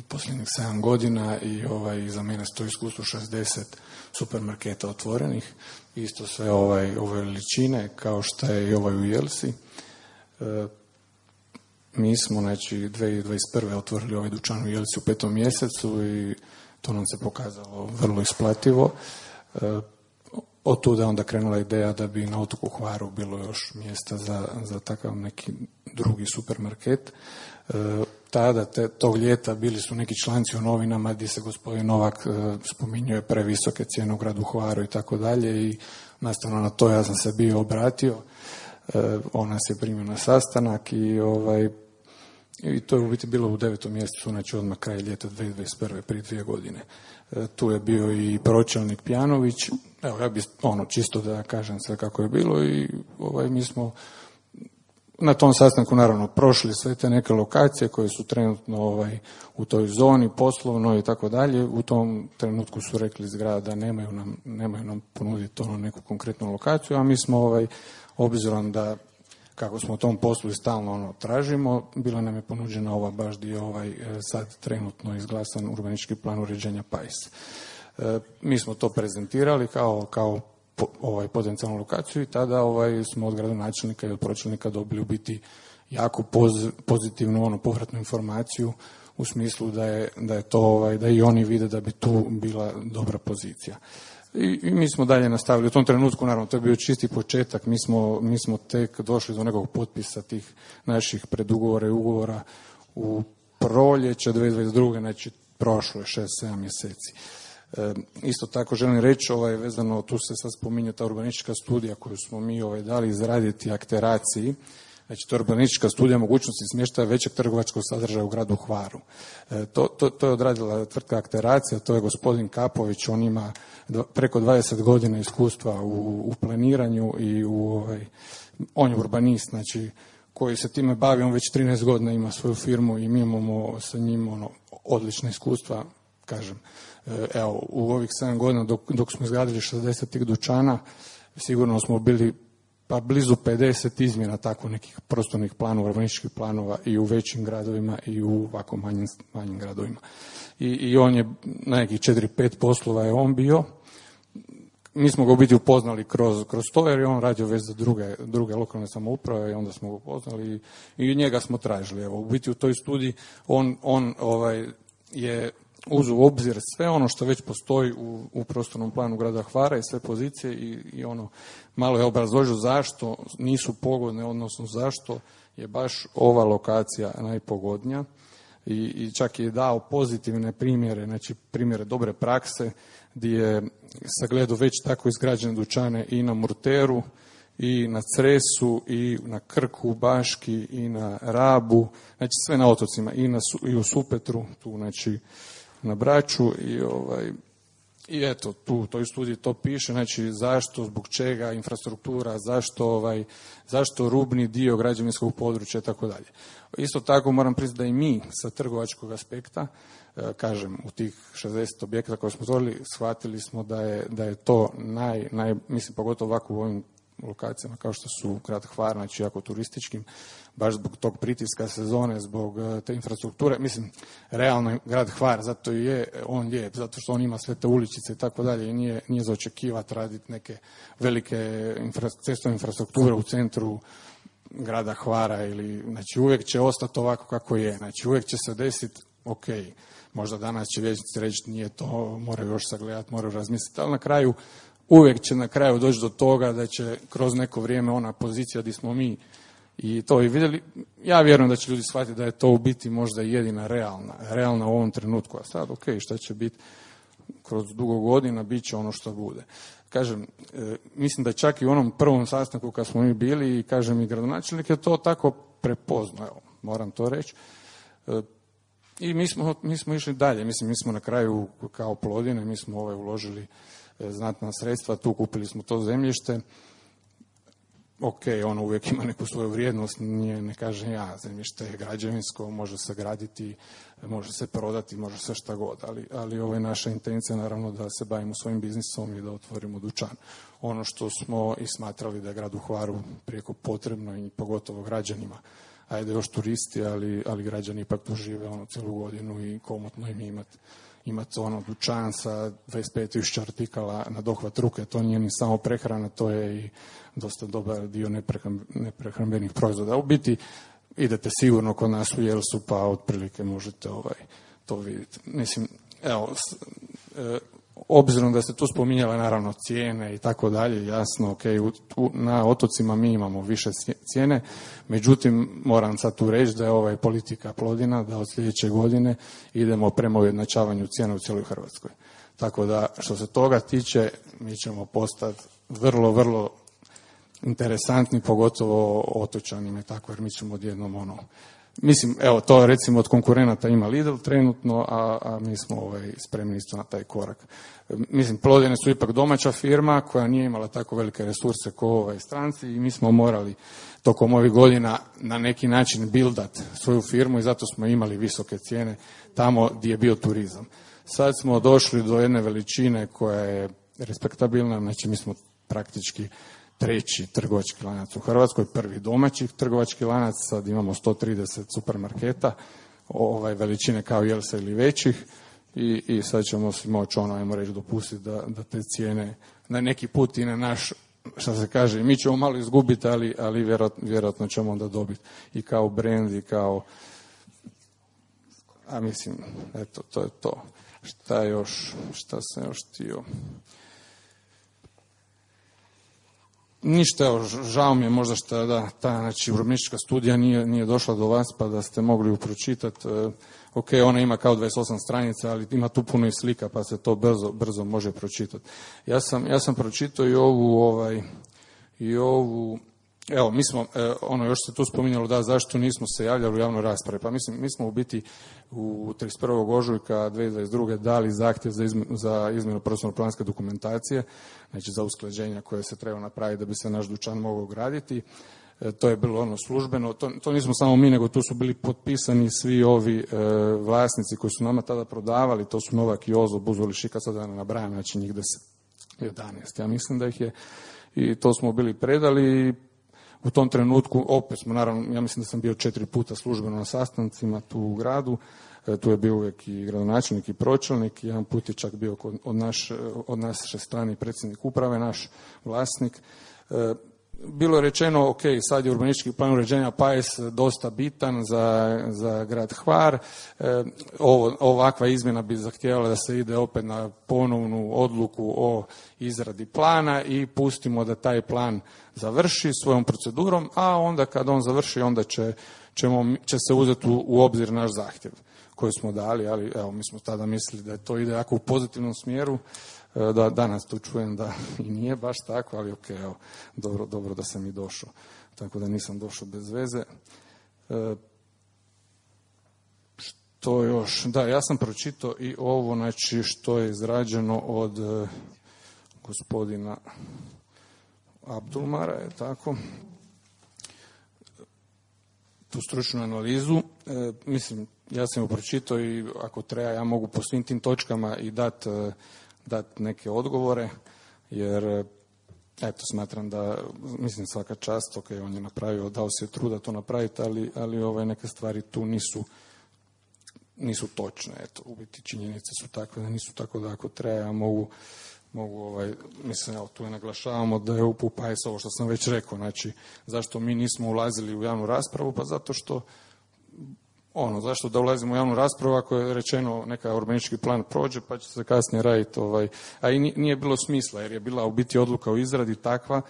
posljednjih 7 godina i iza mene stoji iskustvo 60 supermarketa otvorenih. Isto sve ove veličine kao što je i ovaj u Jelsi. Mi smo, 2021. otvorili ovaj dućan u Jelsi u 5. mjesecu i to nam se pokazalo vrlo isplativo. Od tuda onda krenula ideja da bi na otoku Hvaru bilo još mjesta za takav neki drugi supermarket. Tada, tog ljeta, bili su neki članci u novinama gdje se gospodin Novak spominjuje previsoke cijene u gradu Hvaru i tako dalje i nastavno na to ja sam se bio obratio. On nas je primio na sastanak i to je u biti bilo u 9. mjesecu, znači odmah kraj ljeta 2021. prije 2 godine. Tu je bio i pročelnik Pjanović. Evo, ja bih čisto da kažem sve kako je bilo i mi smo na tom sastanku naravno prošli sve te neke lokacije koje su trenutno u toj zoni poslovnoj i tako dalje. U tom trenutku su rekli iz grada da nemaju nam ponuditi neku konkretnu lokaciju, a mi smo obzirom da kako smo u tom poslu i stalno tražimo, bila nam je ponuđena ova baš dio sad trenutno izglasan urbanistički plan uređenja Pajs. Mi smo to prezentirali kao potencijalnu lokaciju i tada smo od gradonačelnika i od pročelnika dobili u biti jako pozitivnu povratnu informaciju u smislu da je to da i oni vide da bi tu bila dobra pozicija. I mi smo dalje nastavili. U tom trenutku, naravno, to je bio čisti početak. Mi smo tek došli do nekog potpisa tih naših predugovora i ugovora u proljeće 2022. Znači, prošlo je 6-7 mjeseci. Isto tako želim reći, vezano, tu se sad spominje ta urbanistička studija koju smo mi dali izraditi akteraciji. Znači, to je urbanistička studija mogućnosti smještaja većeg trgovačkog sadržaja u gradu Hvaru. To je odradila tvrtka Akteracija, to je gospodin Kapović, on ima preko 20 godina iskustva u planiranju i on je urbanist, znači, koji se time bavi, on već 13 godina ima svoju firmu i mi imamo sa njim odlična iskustva, kažem. Evo, u ovih 7 godina dok smo izgradili 60 tih dućana, sigurno smo bili pa blizu 50 izmjena tako nekih prostornih planova, urbanističkih planova i u većim gradovima i u ovako manjim gradovima. I on je na nekih 4-5 poslova je on bio. Mi smo ga u biti upoznali kroz to jer je on radio već za druge lokalne samouprave i onda smo ga upoznali i njega smo tražili. Evo, u biti u toj studiji on je uzeo u obzir sve ono što već postoji u prostornom planu grada Hvara i sve pozicije i malo je obrazložio zašto nisu pogodne, odnosno zašto je baš ova lokacija najpogodnija i čak je dao pozitivne primjere, znači primjere dobre prakse gdje je sagledao već tako izgrađene dućane i na Murteru i na Cresu i na Krku, Baški i na Rabu, znači sve na otocima i u Supetru, tu znači na Braču i eto, tu u toj studiji to piše, znači zašto, zbog čega, infrastruktura, zašto rubni dio građevinskog područja i tako dalje. Isto tako moram priznati da i mi sa trgovačkog aspekta, kažem, u tih 60 objekata koje smo stvorili, shvatili smo da je to mislim pogotovo ovako u ovim lokacijama kao što su grad Hvar, znači jako turističkim, baš zbog tog pritiska sezone, zbog te infrastrukture, mislim, realno grad Hvar, zato i je on lijep, zato što on ima sve te uličice i tako dalje i nije za očekivati raditi neke velike cestovne infrastrukture u centru grada Hvara znači uvijek će ostati ovako kako je, znači uvijek će se desiti, ok, možda danas će vijećnici reći nije to, moraju još sagledati, moraju razmisliti, ali na kraju, uvijek će na kraju doći do toga da će kroz neko vrijeme ona pozicija gdje smo mi i to i vidjeli, ja vjerujem da će ljudi shvatiti da je to u biti možda jedina realna u ovom trenutku, a sad ok, šta će biti kroz dugo godina, bit će ono što bude. Kažem, mislim da čak i u onom prvom sastanku kad smo mi bili i kažem i gradonačelnik je to tako prepoznao, evo, moram to reći. I mi smo išli dalje, mislim, mi smo na kraju kao Plodine, mi smo uložili znatna sredstva, tu kupili smo to zemljište. Ok, ono uvijek ima neku svoju vrijednost, ne kažem ja, zemljište je građevinsko, može se graditi, može se prodati, može se šta god, ali ovo je naša intencija naravno da se bavimo svojim biznisom i da otvorimo dućan. Ono što smo i smatrali da je gradu Hvaru prijeko potrebno i pogotovo građanima, ajde još turisti, ali građani ipak tu žive cijelu godinu i komotno im imati dućan sa 25.000 artikala na dohvat ruke, to nije ni samo prehrana, to je i dosta dobar dio neprehrambenih proizvoda. U biti idete sigurno kod nas u Jelsu, pa otprilike možete to vidjeti. Mislim, evo, obzirom da ste tu spominjala naravno cijene i tako dalje, jasno, ok, na otocima mi imamo više cijene, međutim, moram sad tu reći da je politika Plodina, da od sljedeće godine idemo prema ujednačavanju cijena u cijeloj Hrvatskoj. Tako da, što se toga tiče, mi ćemo postati vrlo, vrlo interesantni, pogotovo otočanima i tako, jer mi ćemo odjednom mislim, evo, to recimo od konkurenata ima Lidl trenutno, a mi smo spremni isto na taj korak. Mislim, Plodine su ipak domaća firma koja nije imala tako velike resurse kao stranci i mi smo morali tokom ovih godina na neki način buildat svoju firmu i zato smo imali visoke cijene tamo gdje je bio turizam. Sad smo došli do jedne veličine koja je respektabilna, znači mi smo praktički treći trgovački lanac u Hrvatskoj, prvi domaći trgovački lanac, sad imamo 130 supermarketa, veličine kao Jelsa ili većih i sad ćemo si moći ajmo reći dopustiti da te cijene na neki put i na naš, što se kaže, mi ćemo malo izgubiti, ali vjerojatno ćemo onda dobiti i kao brand i kao, a mislim, eto, to je to. Šta sam još htio? Ništa, evo, žao mi je možda što ta urbanistička studija nije došla do vas pa da ste mogli ju pročitati. Ok, ona ima kao 28 stranica, ali ima tu puno i slika pa se to brzo može pročitati. Ja sam pročitao i ovu evo, mi smo, još se tu spominjalo zašto nismo se javljali u javnoj raspravi. Pa mislim, mi smo u biti u 31. ožujka 2022. dali zahtjev za izmjenu prostorno-planske dokumentacije, znači za usklađenja koje se treba napraviti da bi se naš dućan mogao graditi. To je bilo službeno, to nismo samo mi, nego tu su bili potpisani svi ovi vlasnici koji su nama tada prodavali, to su Novak, Jozo, Buzoli, Šika, sada ne nabrajam, znači njih 11, ja mislim da ih je, i to smo bili predali. U tom trenutku opet smo, naravno, ja mislim da sam bio 4 puta službeno na sastancima tu u gradu, tu je bio uvijek i gradonačelnik i pročelnik, jedan put je čak bio od naše strane predsjednik uprave, naš vlasnik. Bilo je rečeno, ok, sad je urbanistički plan uređenja PAES dosta bitan za grad Hvar, ovakva izmjena bi zahtijevala da se ide opet na ponovnu odluku o izradi plana i pustimo da taj plan završi svojom procedurom, a onda kad on završi, onda će se uzeti u obzir naš zahtjev koji smo dali, ali evo, mi smo tada mislili da to ide jako u pozitivnom smjeru, da danas tu čujem da i nije baš tako, ali ok, evo, dobro da sam i došao, tako da nisam došao bez veze. Što još? Da, ja sam pročitao i ovo, znači, što je izrađeno od gospodina Abdulmara, je tako, tu stručnu analizu. Mislim, ja sam ju pročitao i ako treba ja mogu po svim tim točkama i dati neke odgovore, jer eto, smatram da, mislim, svaka čast, ok, on je napravio, dao se truda to napraviti, ali neke stvari tu nisu točne, eto, u biti činjenice su takve da nisu, tako da ako treba ja mislim, evo, tu je naglašavamo da je UPU-PAIS ovo što sam već rekao, znači, zašto mi nismo ulazili u javnu raspravu, pa zato što, zašto da ulazimo u javnu raspravu ako je rečeno neka urbanistički plan prođe, pa će se kasnije raditi, a i nije bilo smisla, jer je bila u biti odluka o izradi takva,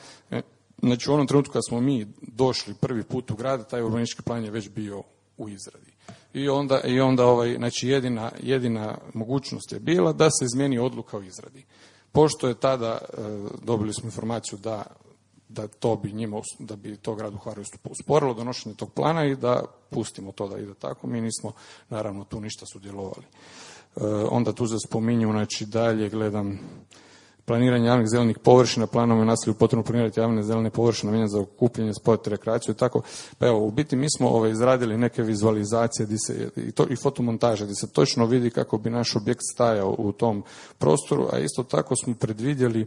znači u onom trenutku kad smo mi došli prvi put u grad, taj urbanistički plan je već bio u izradi. I onda znači jedina mogućnost je bila da se izmijeni odluka o izradi. Pošto je tada dobili smo informaciju da to bi njima, da bi to gradu Hvaru usporilo donošenje tog plana i da pustimo to da ide tako, mi nismo naravno tu ništa sudjelovali. Onda tu se spominju, znači dalje gledam planiranje javnih zelenih površina, planom je naselju potrebno planirati javne zelene površine namijenjene za okupljanje, sport, rekreaciju i tako. Pa evo, u biti mi smo izradili neke vizualizacije i fotomontaže gdje se točno vidi kako bi naš objekt stajao u tom prostoru, a isto tako smo predvidjeli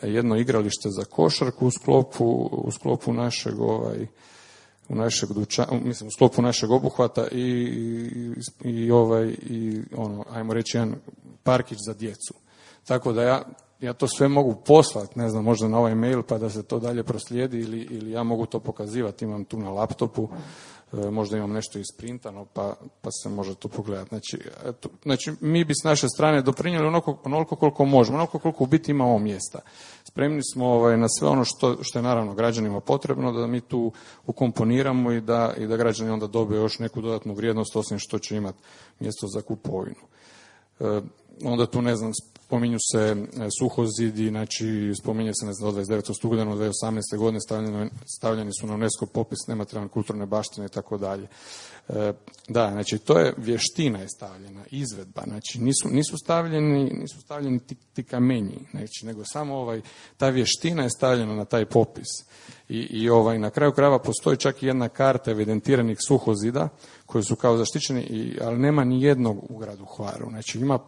jedno igralište za košarku u sklopu našeg u sklopu našeg obuhvata i ajmo reći jedan parkić za djecu. Tako da ja to sve mogu poslati, ne znam, možda na ovaj mail pa da se to dalje proslijedi ili ja mogu to pokazivati, imam tu na laptopu, možda imam nešto isprintano pa se može to pogledati. Znači mi bi s naše strane doprinijeli onoliko koliko možemo, onoliko koliko u biti imamo mjesta. Spremni smo na sve ono što je naravno građanima potrebno, da mi tu ukomponiramo i da građani onda dobiju još neku dodatnu vrijednost osim što će imati mjesto za kupovinu. Onda tu, ne znam, spominju se suhozidi, znači spominje se, ne znam, od 29. studenog 2018. godine stavljeni su na UNESCO popis nematerijalne kulturne baštine i tako dalje. Da, znači to je vještina je stavljena, izvedba, znači nisu stavljeni ti kamenji, znači, nego samo ta vještina je stavljena na taj popis. I na kraju krajeva postoji čak i jedna karta evidentiranih suhozida koji su kao zaštićeni, ali nema ni jednog u gradu Hvaru. Znači ima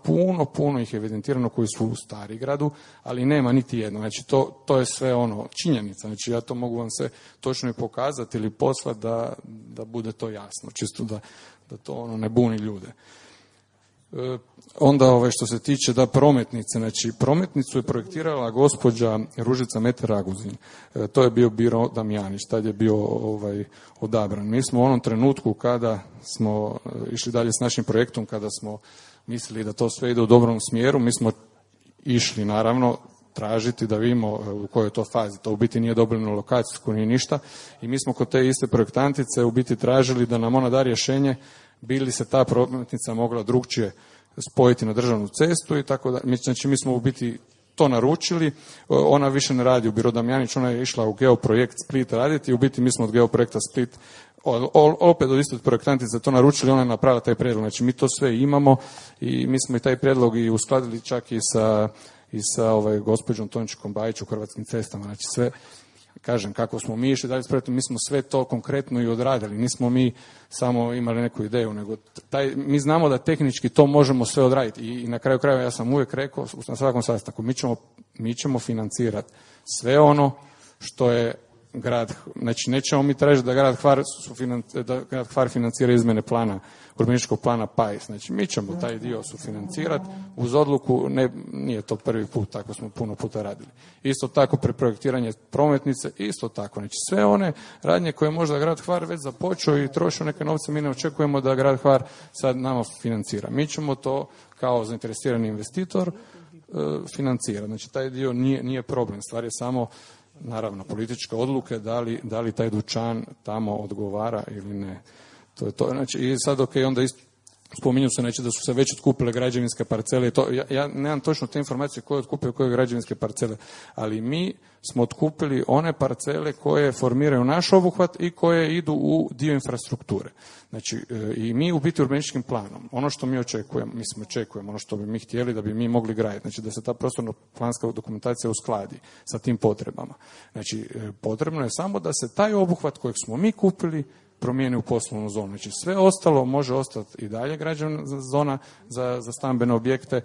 puno ih evidentirano koji su u Starigradu, ali nema niti jedno. Znači to je sve činjenica. Znači ja to mogu vam se točno i pokazati ili poslati da bude to jasno, čisto da to ne buni ljude. Onda što se tiče prometnice, znači prometnicu je projektirala gospođa Ružica Meter-Raguzin. To je bio Biro Damjanić, tad je bio odabran. Mi smo u onom trenutku kada smo išli dalje s našim projektom, kada smo mislili da to sve ide u dobrom smjeru, mi smo išli naravno tražiti da vidimo u kojoj je to fazi. To u biti nije dobilo lokacijsku ni ništa i mi smo kod te iste projektantice u biti tražili da nam ona da rješenje bi li se ta prometnica mogla drugčije spojiti na državnu cestu i tako da. Znači mi smo u biti to naručili, ona više ne radi u Biro Damjanić, ona je išla u Geoprojekt Split raditi i u biti mi smo od Geoprojekta Split opet od istog projektantice to naručili, ona je napravila taj prijedlog. Znači mi to sve imamo i mi smo i taj prijedlog i uskladili čak i sa gospođom Tončikom Bajić u Hrvatskim cestama. Znači sve, kažem, kako smo mi išli dalje s projektom, mi smo sve to konkretno i odradili. Nismo mi samo imali neku ideju, nego mi znamo da tehnički to možemo sve odraditi. I na kraju krajeva ja sam uvijek rekao na svakom sastanku, mi ćemo financirati sve ono što je grad, znači nećemo mi tražiti da grad Hvar financira izmjene plana, urbanističkog plana PAIS. Znači mi ćemo taj dio sufinancirati uz odluku, nije to prvi put, tako smo puno puta radili. Isto tako preprojektiranje prometnice, isto tako. Znači sve one radnje koje možda grad Hvar već započeo i trošio neke novce, mi ne očekujemo da grad Hvar sad nama financira. Mi ćemo to kao zainteresirani investitor financirati. Znači taj dio nije problem, stvar je samo naravno političke odluke da li taj dućan tamo odgovara ili ne. To je to. Znači, i sad onda spominju se da su se već otkupile građevinske parcele. Ja nemam točno te informacije koje otkupio koje građevinske parcele, ali mi smo otkupili one parcele koje formiraju naš obuhvat i koje idu u dio infrastrukture. Znači, i mi u biti urbanističkim planom, ono što mi očekujemo, ono što bi mi htjeli da bi mi mogli graditi, znači da se ta prostorno-planska dokumentacija uskladi sa tim potrebama. Znači, potrebno je samo da se taj obuhvat kojeg smo mi kupili promijeni u poslovnu zonu. Znači sve ostalo može ostati i dalje građevna zona za stambene objekte.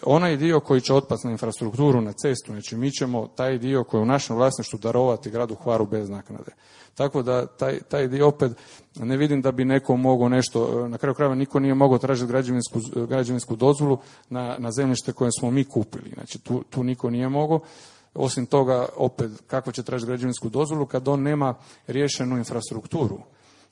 Onaj dio koji će otpasti na infrastrukturu, na cestu, znači mi ćemo taj dio koji je u našem vlasništvu darovati gradu Hvaru bez naknade. Tako da taj dio opet ne vidim da bi neko mogao nešto, na kraju krajeva niko nije mogao tražiti građevinsku dozvolu na zemljište koje smo mi kupili. Znači tu niko nije mogao. Osim toga, opet, kako će tražiti građevinsku dozvolu kad on nema riješenu infrastrukturu?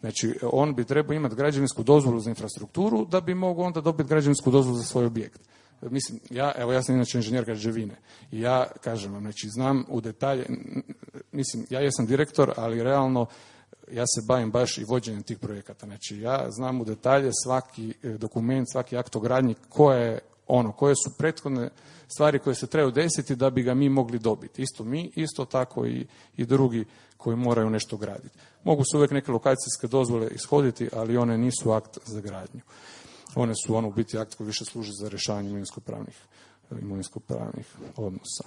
Znači, on bi trebao imati građevinsku dozvolu za infrastrukturu da bi mogao onda dobiti građevinsku dozvolu za svoj objekt. Mislim, ja sam inače inženjer građevine i ja kažem vam, znači znam u detalje, mislim, ja jesam direktor, ali realno ja se bavim baš i vođenjem tih projekata. Znači, ja znam u detalje svaki dokument, svaki akt o gradnji koje su prethodne stvari koje se trebaju desiti da bi ga mi mogli dobiti. Isto mi, isto tako i drugi koji moraju nešto graditi. Mogu se uvijek neke lokacijske dozvole ishoditi, ali one nisu akt za gradnju. One su u biti akt koji više služi za rješavanje imovinsko-pravnih odnosa.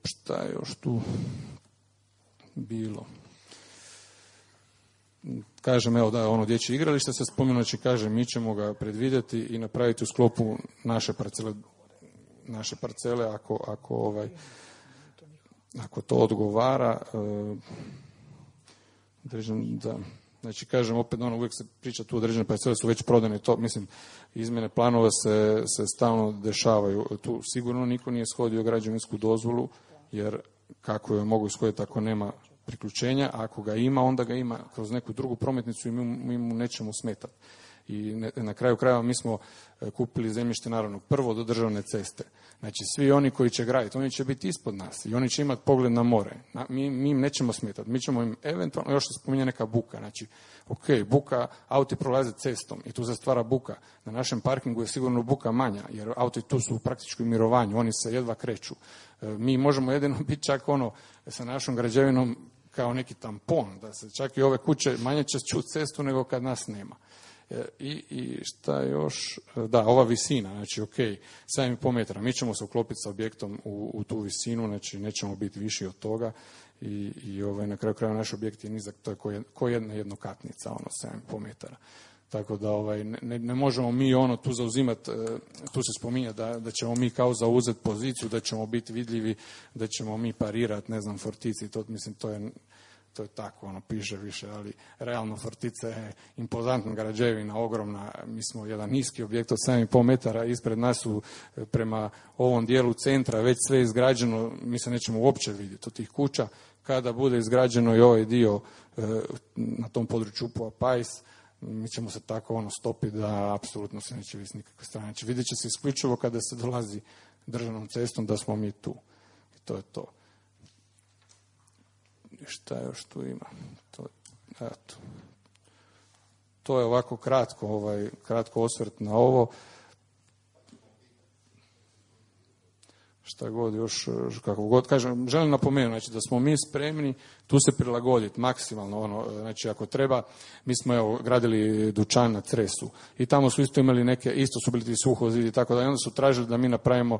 Šta je još tu bilo? Kažem, evo da, ono dječje igralište se spomenuo, znači kažem, mi ćemo ga predvidjeti i napraviti u sklopu naše parcele ako to odgovara. Da. Znači, kažem, opet uvijek se priča tu određene parcele su već prodane, to, mislim, izmjene planova se stalno dešavaju. Tu sigurno niko nije ishodio građevinsku dozvolu, jer kako je mogu ishoditi ako nema priključenja, a ako ga ima, onda ga ima kroz neku drugu prometnicu i mi mu nećemo smetati. I na kraju krajeva mi smo kupili zemljište naravno prvo do državne ceste. Znači svi oni koji će graditi, oni će biti ispod nas i oni će imati pogled na more. Mi im nećemo smetati. Mi ćemo im eventualno, još se spominje neka buka. Znači, ok, buka, auti prolaze cestom i tu se stvara buka. Na našem parkingu je sigurno buka manja, jer auti tu su u praktičkom mirovanju, oni se jedva kreću. Mi možemo jedino biti čak sa našom građevinom kao neki tampon, da se čak i ove kuće manje će čuti cestu nego kad nas nema. I šta još? Da, ova visina, znači ok, 7,5 metara, mi ćemo se uklopiti sa objektom u tu visinu, znači nećemo biti viši od toga i na kraju krajeva naš objekt je nizak, to je ko jedna jednokatnica, 7,5 metara. Tako da ne možemo mi tu zauzimati, tu se spominje da ćemo mi kao zauzeti poziciju, da ćemo biti vidljivi, da ćemo mi parirati, ne znam, Fortici, to je tako, piše više, ali realno Fortica je impozantna građevina, ogromna, mi smo jedan niski objekt od 7,5 metara, ispred nas su prema ovom dijelu centra već sve izgrađeno, mi se nećemo uopće vidjeti od tih kuća, kada bude izgrađeno i ovaj dio na tom području UPU-a Pajs, mi ćemo se tako stopiti da apsolutno se neće vidjeti nikakve strane. Znači, vidjet će se isključivo kada se dolazi državnom cestom da smo mi tu. I to je to. I šta još tu ima? To je ovako kratko osvrt na ovo. Šta god još, kako god kažem, želim napomenuti, znači da smo mi spremni tu se prilagoditi maksimalno, znači ako treba, mi smo gradili dućan na Cresu i tamo su isto imali isto su bili ti suhozidi i tako da, i onda su tražili da mi napravimo,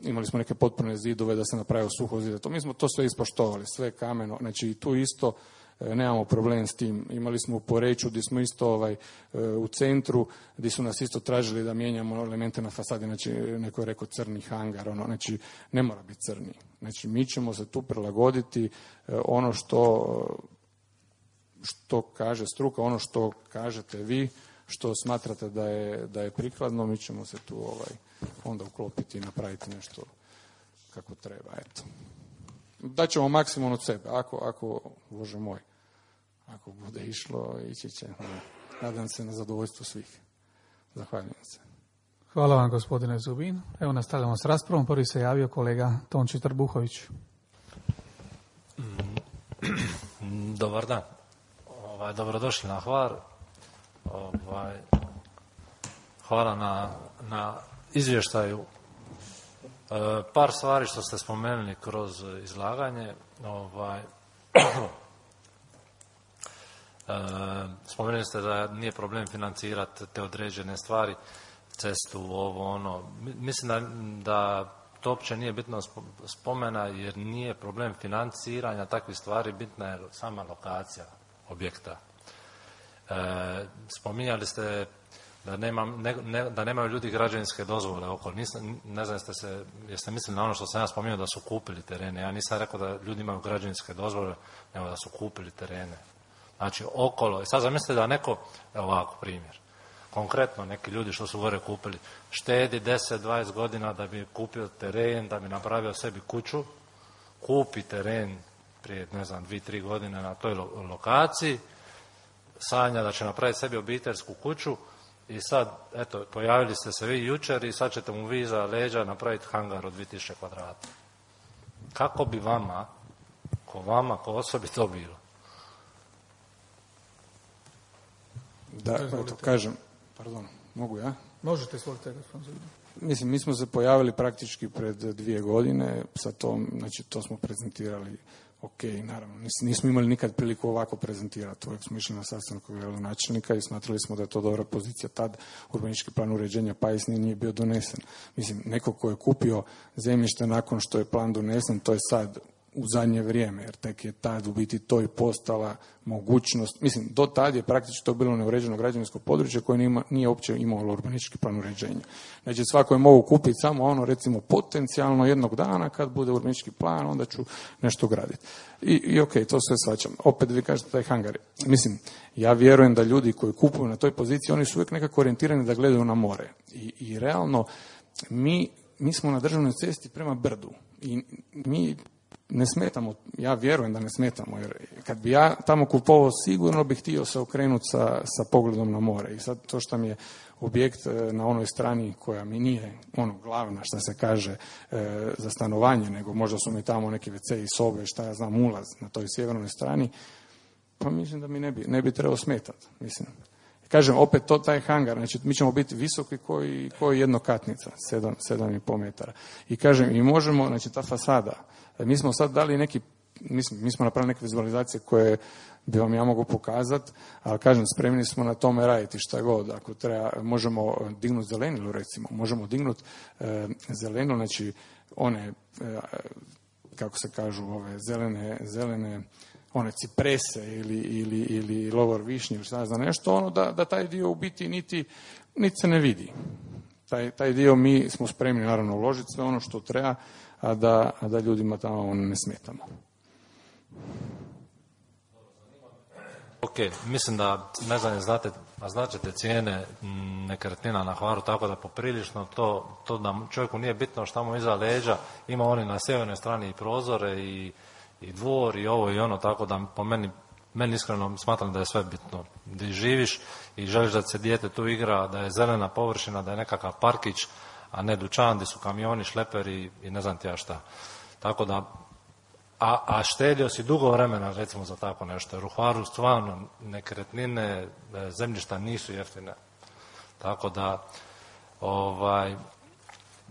imali smo neke potporne zidove da se napravio suhozid, mi smo to sve ispoštovali, sve kameno, znači tu isto nemamo problem s tim. Imali smo u Poreču gdje smo isto u centru, gdje su nas isto tražili da mijenjamo elemente na fasadi, znači neko je rekao crni hangar, znači ne mora biti crni. Znači mi ćemo se tu prilagoditi ono što kaže struka, ono što kažete vi, što smatrate da je prikladno, mi ćemo se tu onda uklopiti i napraviti nešto kako treba, eto. Daćemo maksimum od sebe, ako Bože moj, ako bude išlo, ići će, nadam se na zadovoljstvo svih. Zahvaljujem se. Hvala vam, gospodine Zubin. Evo nastavljamo s raspravom. Prvi se javio kolega Tonči Trbuhović. Dobar dan. Dobrodošli na Hvar. Hvala na izvještaju. Par stvari što ste spomenuli kroz izlaganje. Spomenuli ste da nije problem financirati te određene stvari, cestu, ovo, ono. Mislim da to uopće nije bitno spomena jer nije problem financiranja takvih stvari, bitna je sama lokacija objekta. Spominjali ste da nemaju ljudi građevinske dozvole oko. Ne znam jeste mislili na ono što sam ja spominjao da su kupili terene. Ja nisam rekao da ljudi imaju građevinske dozvole, nego da su kupili terene. Znači okolo. I sad zamislite da neko, ovako primjer, konkretno neki ljudi što su gore kupili, štedi 10-20 godina da bi kupio teren, da bi napravio sebi kuću, kupi teren prije, 2-3 godine na toj lokaciji, sanja da će napraviti sebi obiteljsku kuću i sad, eto, pojavili ste se vi jučer i sad ćete mu vi iza leđa napraviti hangar od 2000 kvadrata. Kako bi vama, ko osobi to bilo? Da, eto, kažem, pardon, mogu ja? Možete, izvolite, gospodin. Mislim, mi smo se pojavili praktički pred 2 godine, sa tom, znači to smo prezentirali, ok, naravno, nismo imali nikad priliku ovako prezentirati, uvijek smo išli na sastanak gradonačelnika i smatrali smo da je to dobra pozicija, tad urbanistički plan uređenja Pais nije bio donesen. Mislim, neko ko je kupio zemljište nakon što je plan donesen, to je sad u zadnje vrijeme, jer tek je tad u biti to i postala mogućnost, mislim, do tad je praktički to bilo neuređeno građevinsko područje koje nije uopće imalo urbanistički plan uređenja. Znači, svako je mogao kupiti samo ono, recimo, potencijalno jednog dana kad bude urbanistički plan, onda ću nešto graditi. I ok, to sve shvaćam. Opet vi kažete taj hangar. Mislim, ja vjerujem da ljudi koji kupuju na toj poziciji, oni su uvijek nekako orijentirani da gledaju na more. I realno, mi smo na državnoj cesti prema brdu i mi ne smetamo, ja vjerujem da ne smetamo, jer kad bi ja tamo kupovao, sigurno bih htio se okrenuti sa pogledom na more. I sad to što mi je objekt na onoj strani koja mi nije glavna, što se kaže, za stanovanje, nego možda su mi tamo neki WC i sobe, šta ja znam, ulaz na toj sjevernoj strani, pa mislim da mi ne bi trebao smetati. Mislim. Kažem, opet taj hangar, znači mi ćemo biti visoki koji jednokatnica, 7,5 metara. I kažem, i možemo, znači ta fasada, mi smo sad dali mi smo napravili neke vizualizacije koje bi vam ja mogu pokazati, ali kažem, spremni smo na tome raditi šta god. Ako treba, možemo dignuti zelenilu, recimo, možemo dignuti zelenu, znači one, kako se kažu, ove zelene one ciprese ili lovor višnje ili šta znam nešto, da taj dio u biti niti se ne vidi. Taj dio mi smo spremni naravno uložiti sve ono što treba, a da ljudima tamo ne smetamo. Ok, mislim da, ne znam, značite cijene nekretnina na Hvaru, tako da poprilično to da čovjeku nije bitno šta mu iza leđa, ima oni na sjevernoj strani i prozore i dvor i ovo i ono, tako da po meni iskreno smatram da je sve bitno. Da živiš i želiš da se dijete tu igra, da je zelena površina, da je nekakav parkić, a ne dućan gdje su kamioni, šleperi i ne znam ti ja šta. Tako da, a štedio si dugo vremena recimo za tako nešto, jer u Hvaru stvarno nekretnine, zemljišta nisu jeftine. Tako da,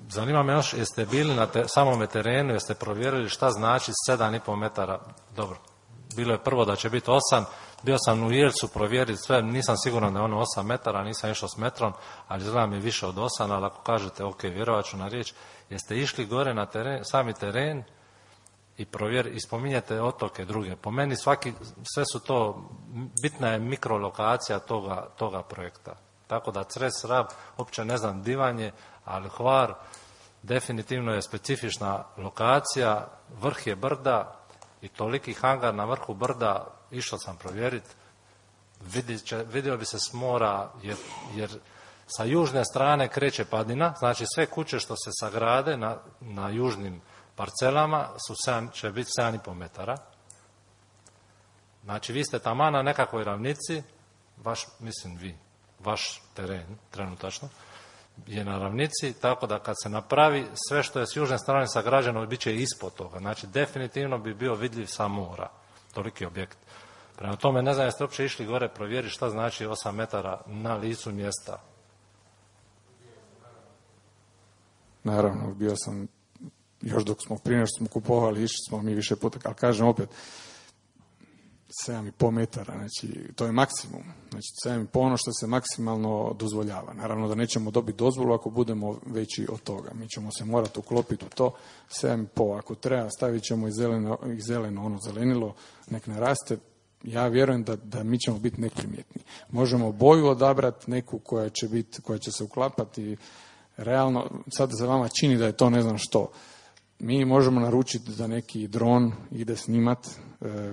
zanima me još, jeste bili na samome terenu, jeste provjerili šta znači 7,5 metara, dobro, bilo je prvo da će biti 8, bio sam u Jelcu provjeriti sve, nisam siguran da je ono 8 metara, nisam išao s metrom, ali izgleda mi više od 8, ali ako kažete, ok, vjerovat ću na riječ, jeste išli gore na teren, sami teren i spominjete otoke druge. Po meni sve su to, bitna je mikrolokacija toga projekta. Tako da Cres, Rab, uopće ne znam divanje, ali Hvar definitivno je specifična lokacija, vrh je brda i toliki hangar na vrhu brda, išao sam provjeriti, vidio bi se s mora, jer sa južne strane kreće padina, znači sve kuće što se sagrade na južnim parcelama će biti 7,5 metara. Znači vi ste taman na nekakvoj ravnici, vaš teren trenutačno je na ravnici, tako da kad se napravi sve što je s južne strane sagrađeno, bit će ispod toga. Znači definitivno bi bio vidljiv sa mora, toliki objekt. Prema tome, ne znam jeste uopće išli gore provjeriti šta znači 8 metara na licu mjesta. Naravno, bio sam, još dok smo prije što smo kupovali, išli smo mi više puta, ali kažem opet, 7,5 metara, znači to je maksimum. Znači 7,5 ono što se maksimalno dozvoljava. Naravno da nećemo dobiti dozvolu ako budemo veći od toga. Mi ćemo se morati uklopiti u to 7,5. Ako treba, stavit ćemo i zeleno ono zelenilo, nek naraste, ja vjerujem da mi ćemo biti neprimjetni. Možemo boju odabrati neku koja će se uklapati realno, sad se vama čini da je to ne znam što. Mi možemo naručiti da neki dron ide snimat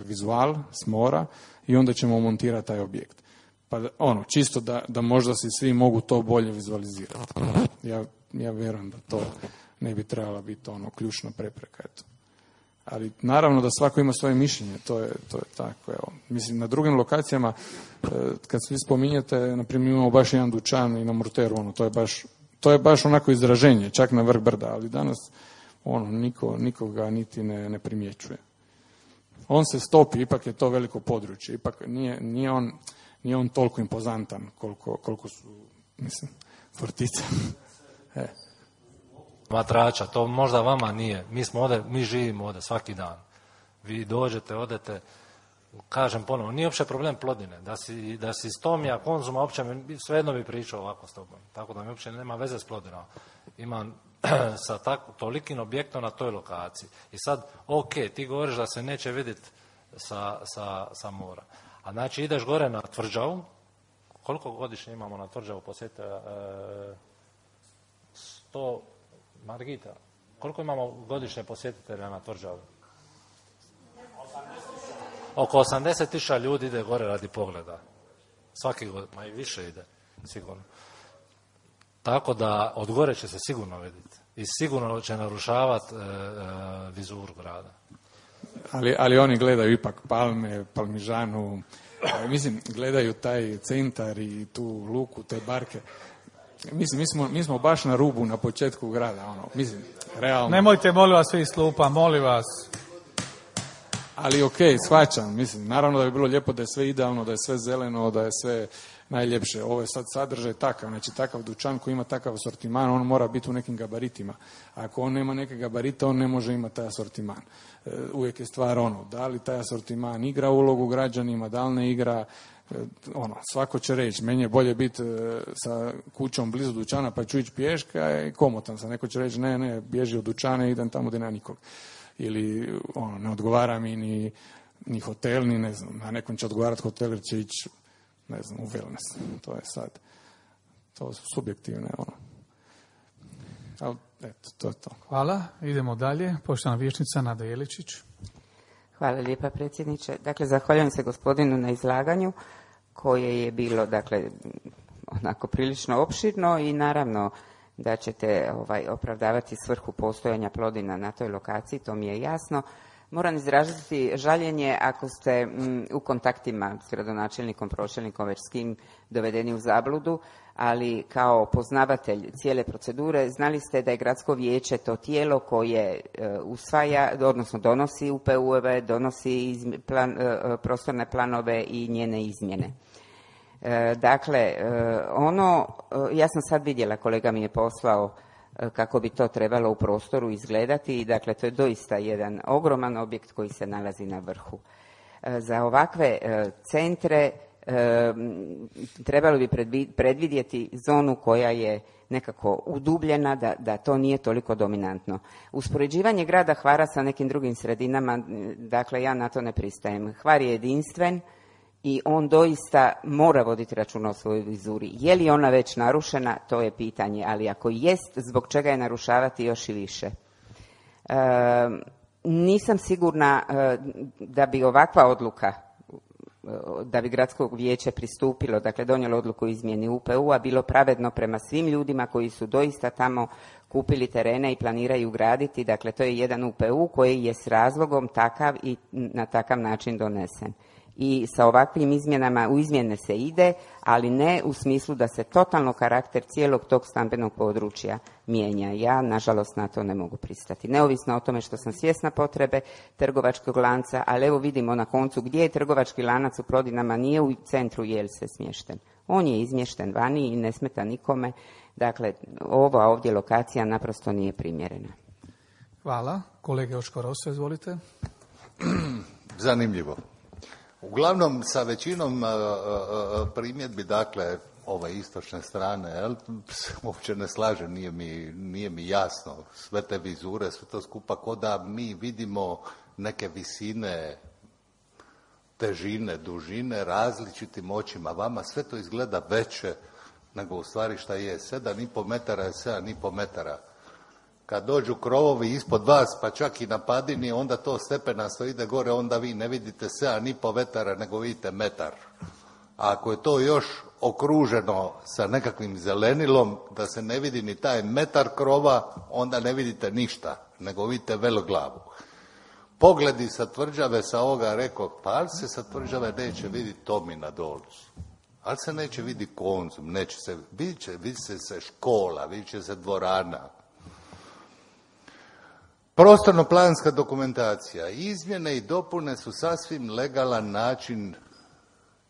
vizual s mora i onda ćemo montirati taj objekt. Pa čisto da možda si svi mogu to bolje vizualizirati. Ja vjerujem da to ne bi trebala biti ključna prepreka. Eto. Ali naravno da svako ima svoje mišljenje, to je tako. Evo. Mislim, na drugim lokacijama, kad svi spominjete, na primjer imamo baš jedan dućan i na Murteru, to je baš onako izraženje, čak na vrh brda, ali danas niko ga niti ne primjećuje. On se stopi, ipak je to veliko područje, ipak nije on toliko impozantan koliko su, mislim, Fortica. Matrača, to možda vama nije. Mi živimo ovdje svaki dan. Vi dođete, odete, kažem ponovo, nije uopće problem Plodine. Da si iz Tomija, Konzuma, uopće svejedno bi pričao ovako s tobom. Tako da mi uopće nema veze s Plodinom. Imam sa tolikim objektom na toj lokaciji. I sad, ok, ti govoriš da se neće vidjeti sa mora. A znači ideš gore na Tvrđavu, koliko godišnje imamo na Tvrđavu posjete? 100, Margita, koliko imamo godišnje posjetitelja na Tvrđavu? Oko 80.000 ljudi ide gore radi pogleda. Svaki godin, ma i više ide, sigurno. Tako da od gore će se sigurno vidjeti. I sigurno će narušavati vizuru grada. Ali oni gledaju ipak Palme, Palmižanu, mislim, gledaju taj centar i tu luku, te barke. Mislim, mi smo baš na rubu, na početku grada, mislim, realno. Nemojte, molim vas, svi iz klupa, molim vas. Ali shvaćam, mislim, naravno da bi bilo lijepo da je sve idealno, da je sve zeleno, da je sve najljepše. Ovo je sad sadržaj takav, znači takav dućan koji ima takav asortiman, on mora biti u nekim gabaritima. Ako on nema neke gabarite, on ne može imati taj asortiman. Uvijek je stvar da li taj asortiman igra ulogu građanima, da li ne igra, svako će reći, meni je bolje biti sa kućom blizu dućana pa ću ići pješka i komotan sam. Neko će reći, ne, bježi od dućana i idem tamo gdje nema nikog. Ili ne odgovara mi ni hotel, ni ne znam, a nekom će odgovarati hotel jer će ići, ne znam, u wellness. To je sad, to su subjektivne, Ali, eto, to je to. Hvala, idemo dalje. Poštovana vijećnica Nada Jeličić. Hvala lijepa, predsjedniče. Dakle, zahvaljujem se gospodinu na izlaganju koje je bilo, dakle, onako prilično opširno i naravno da ćete opravdavati svrhu postojanja Plodina na toj lokaciji, to mi je jasno. Moram izraziti žaljenje ako ste u kontaktima s gradonačelnikom, pročelnikom, već s kim dovedeni u zabludu, ali kao poznavatelj cijele procedure znali ste da je gradsko vijeće to tijelo koje usvaja, odnosno donosi UPU-eve, donosi prostorne planove i njene izmjene. Dakle, ja sam sad vidjela, kolega mi je poslao kako bi to trebalo u prostoru izgledati i dakle to je doista jedan ogroman objekt koji se nalazi na vrhu. Za ovakve centre trebalo bi predvidjeti zonu koja je nekako udubljena, da to nije toliko dominantno. Uspoređivanje grada Hvara sa nekim drugim sredinama, dakle ja na to ne pristajem. Hvar je jedinstven i on doista mora voditi računa o svojoj vizuri. Je li ona već narušena, to je pitanje, ali ako jest, zbog čega je narušavati još i više? Nisam sigurna da bi ovakva odluka, da bi gradsko vijeće pristupilo, dakle donijelo odluku o izmjeni UPU-a, bilo pravedno prema svim ljudima koji su doista tamo kupili terene i planiraju graditi. Dakle, to je jedan UPU koji je s razlogom takav i na takav način donesen. I sa ovakvim izmjenama u izmjene se ide, ali ne u smislu da se totalno karakter cijelog tog stambenog područja mijenja. Ja, nažalost, na to ne mogu pristati. Neovisno o tome što sam svjesna potrebe trgovačkog lanca, ali evo vidimo na koncu gdje je trgovački lanac u Plodinama, nije u centru Jelse smješten. On je izmješten vani i ne smeta nikome. Dakle, ova ovdje lokacija naprosto nije primjerena. Hvala. Kolege Očko Rosa, izvolite. Zanimljivo. Uglavnom, sa većinom primjedbi, dakle, ove istočne strane, uopće ne slažem, nije mi jasno. Sve te vizure, sve to skupa, ko da mi vidimo neke visine težine, dužine, različitim očima. Vama sve to izgleda veće nego u stvari šta je. 7,5 metara je 7,5 metara. Kad dođu krovovi ispod vas, pa čak i na padini, onda to stepenasto ide gore, onda vi ne vidite 7,5 metara, nego vidite metar. A ako je to još okruženo sa nekakvim zelenilom, da se ne vidi ni taj metar krova, onda ne vidite ništa, nego vidite veloglavu. Pogledi sa tvrđave sa ovoga rekao, pa ali se sa tvrđave neće vidjeti Tomina Dolcu. Ali se neće vidjeti Konzum, neće se, vidit će se škola, vidit će se dvorana. Prostorno-planska dokumentacija. Izmjene i dopune su sasvim legalan način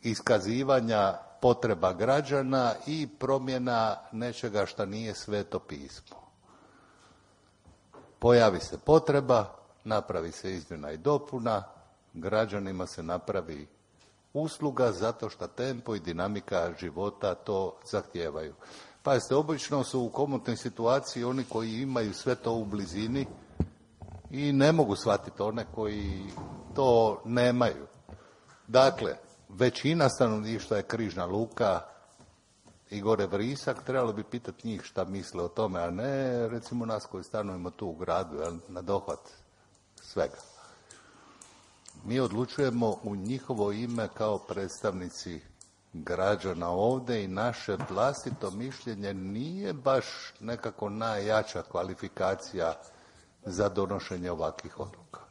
iskazivanja potreba građana i promjena nečega što nije Sveto pismo. Pojavi se potreba, napravi se izmjena i dopuna, građanima se napravi usluga zato što tempo i dinamika života to zahtijevaju. Pazite, obično su u komotnoj situaciji oni koji imaju sve to u blizini i ne mogu shvatiti one koji to nemaju. Dakle, većina stanovništva je Križna Luka i gore Vrisak, trebalo bi pitati njih šta misle o tome, a ne recimo nas koji stanujemo tu u gradu, na dohvat svega. Mi odlučujemo u njihovo ime kao predstavnici građana ovdje i naše vlastito mišljenje nije baš nekako najjača kvalifikacija za donošenje ovakvih odluka.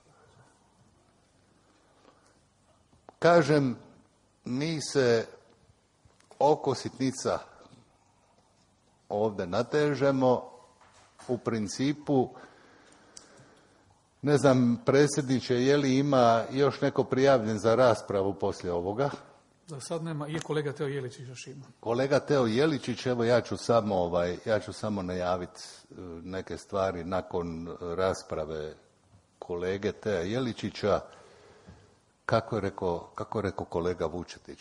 Kažem, mi se oko sitnica ovdje natežemo, u principu, ne znam, predsjedniče, je li ima još neko prijavljen za raspravu poslije ovoga? Za sad nema, je kolega Teo Jeličić još ima. Kolega Teo Jeličić, evo ja ću samo najaviti neke stvari nakon rasprave kolege Tea Jeličića. Kako je rekao kolega Vučetić,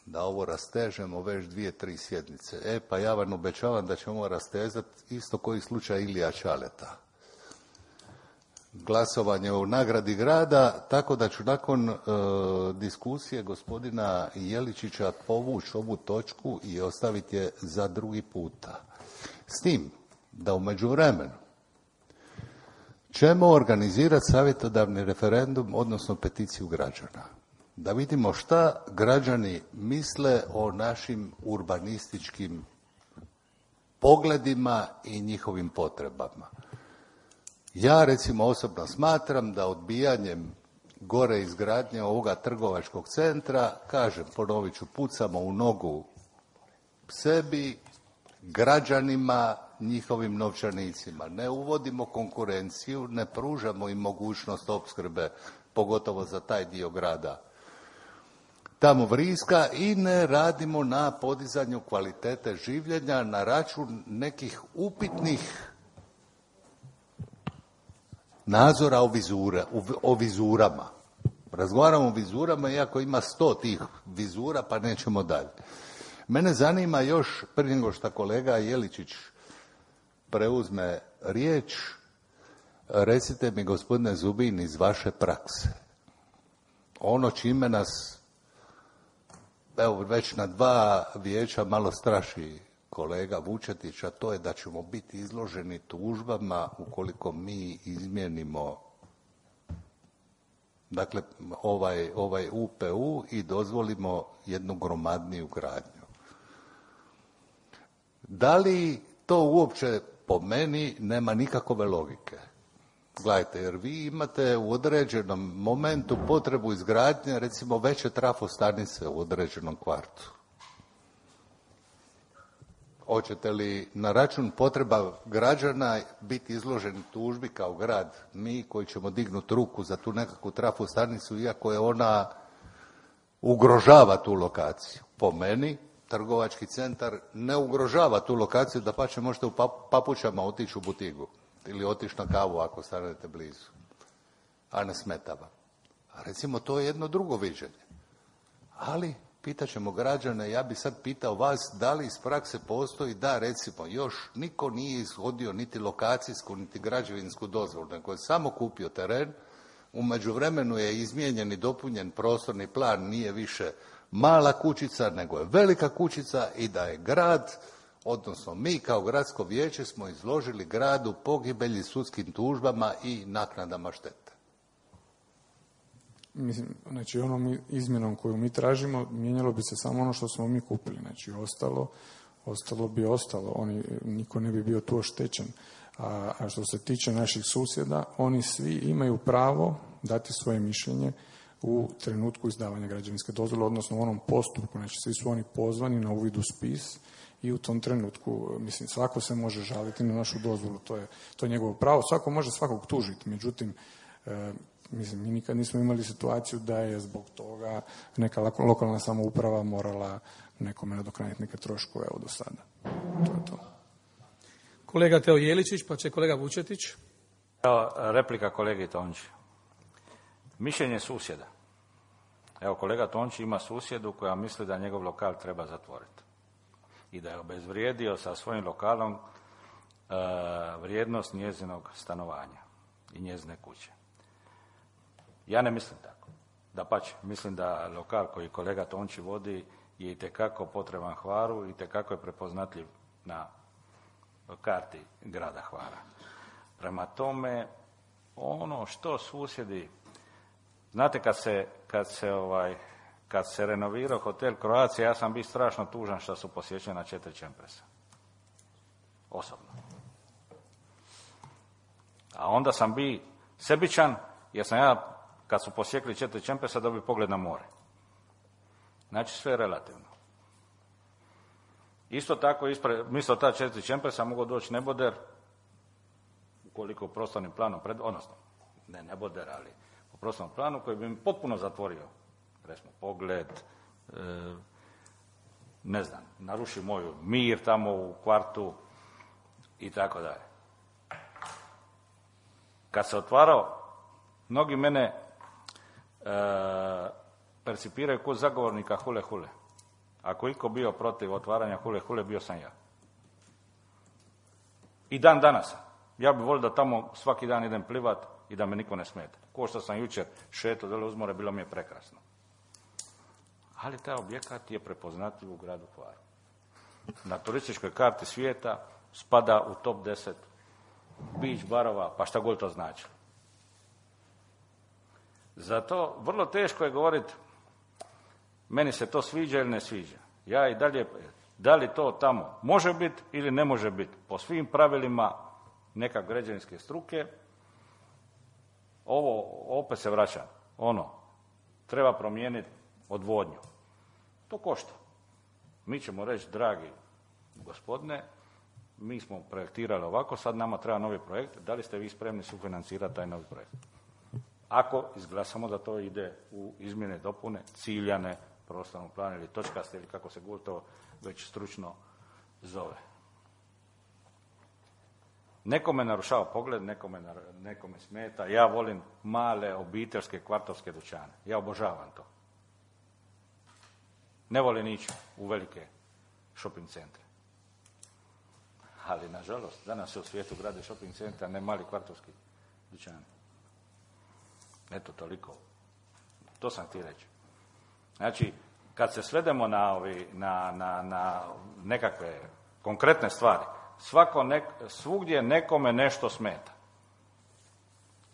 da ovo rastežemo već 2-3 sjednice. Pa ja vam obećavam da ćemo ovo rastezati isto koji slučaj Ilija Čaleta. Glasovanje o nagradi grada, tako da ću nakon diskusije gospodina Jeličića povući ovu točku i ostaviti je za drugi puta. S tim da u međuvremenu ćemo organizirati savjetodavni referendum, odnosno peticiju građana. Da vidimo šta građani misle o našim urbanističkim pogledima i njihovim potrebama. Ja recimo osobno smatram da odbijanjem gore izgradnje ovoga trgovačkog centra, kažem, ponovit ću, pucamo u nogu sebi, građanima, njihovim novčanicima. Ne uvodimo konkurenciju, ne pružamo im mogućnost opskrbe, pogotovo za taj dio grada tamo Vriska, i ne radimo na podizanju kvalitete življenja na račun nekih upitnih nadzora o vizurama. Razgovaramo o vizurama, iako ima 100 tih vizura, pa nećemo dalje. Mene zanima još, prije nego što kolega Jeličić preuzme riječ, recite mi, gospodine Zubin, iz vaše prakse, ono čime nas, evo, već na 2 vijeća malo straši kolega Vučetić, a to je da ćemo biti izloženi tužbama ukoliko mi izmijenimo, dakle, ovaj UPU i dozvolimo jednu gromadniju gradnju. Da li to uopće po meni nema nikakove logike? Gledajte, jer vi imate u određenom momentu potrebu izgradnje, recimo, veće trafostanice u određenom kvartu. Hoćete li na račun potreba građana biti izloženi tužbi kao grad, mi koji ćemo dignuti ruku za tu nekakvu trafostanicu, iako je ona ugrožava tu lokaciju? Po meni, trgovački centar ne ugrožava tu lokaciju, dapače možete u papučama otići u butigu ili otići na kavu ako stanete blizu, a ne smeta vam. A recimo, to je jedno drugo viđenje. Ali pitat ćemo građane, ja bi sad pitao vas, da li iz prakse postoji da, recimo, još niko nije ishodio niti lokacijsku, niti građevinsku dozvolu, nego je samo kupio teren, U međuvremenu je izmijenjen i dopunjen prostorni plan, nije više mala kućica, nego je velika kućica i da je grad, odnosno mi kao gradsko vijeće smo izložili gradu pogibelji sudskim tužbama i naknadama štete. Mislim, znači onom izmjenom koju mi tražimo, mijenjalo bi se samo ono što smo mi kupili. Znači ostalo bi ostalo. Niko ne bi bio tu oštećen. A što se tiče naših susjeda, oni svi imaju pravo dati svoje mišljenje u trenutku izdavanja građevinske dozvole, odnosno u onom postupku. Znači svi su oni pozvani na uvid u spis i u tom trenutku, mislim, svako se može žaliti na našu dozvolu. To je njegovo pravo. Svako može svakog tužiti. Međutim, mislim, mi nikad nismo imali situaciju da je zbog toga neka lokalna samouprava morala nekome nadoknaditi neke troškove do sada. To je to. Kolega Teo Jeličić, pa će kolega Vučetić. Evo, replika kolegi Tonči. Mišljenje susjeda. Evo, kolega Tonči ima susjedu koja misli da njegov lokal treba zatvoriti. I da je obezvrijedio sa svojim lokalom vrijednost njezinog stanovanja i njezine kuće. Ja ne mislim tako. Dapače, mislim da lokal koji kolega Tonči vodi je itekako potreban Hvaru i itekako je prepoznatljiv na karti grada Hvara. Prema tome, ono što susjedi, znate kad se renovirao hotel Croatia, ja sam bio strašno tužan što su posjećena 4 čempresa. Osobno. A onda sam bio sebičan, jer sam ja, kad su posjekli 4 čempresa, dobio pogled na more. Znači, sve je relativno. Isto tako, mislo ta 4 čempresa mogu doći neboder, ukoliko u prostornim planom, odnosno, ne neboder, ali u prostornom planu koji bi mi potpuno zatvorio, recimo, pogled, ne znam, naruši moju mir tamo u kvartu i tako dalje. Kad se otvarao, mnogi mene percipiraju kod zagovornika hule hule. Ako iko bio protiv otvaranja hule hule, bio sam ja. I dan danas. Ja bih volio da tamo svaki dan idem plivat i da me niko ne smeta. Ko što sam jučer šetao dole uz more, bilo mi je prekrasno. Ali taj objekat je prepoznatljiv u gradu Hvaru. Na turističkoj karti svijeta spada u top 10 beach barova, pa šta god to znači. Zato vrlo teško je govoriti meni se to sviđa ili ne sviđa. Ja i dalje, da li to tamo može biti ili ne može biti po svim pravilima neka građevinske struke, ovo opet se vraća, treba promijeniti odvodnju. To košta. Mi ćemo reći, dragi gospodine, mi smo projektirali ovako, sad nama treba novi projekt, da li ste vi spremni sufinancirati taj novi projekt? Ako izglasamo da to ide u izmjene i dopune, ciljane, prostornog plana ili točkaste, ili kako se god to već stručno zove. Nekome narušava pogled, nekome smeta. Ja volim male obiteljske kvartovske dućane. Ja obožavam to. Ne volim ići u velike shopping centre. Ali, nažalost, danas se u svijetu grade shopping centra, ne mali kvartovski dućani. Eto, toliko. To sam htio reći. Znači, kad se svedemo na nekakve konkretne stvari, svugdje nekome nešto smeta.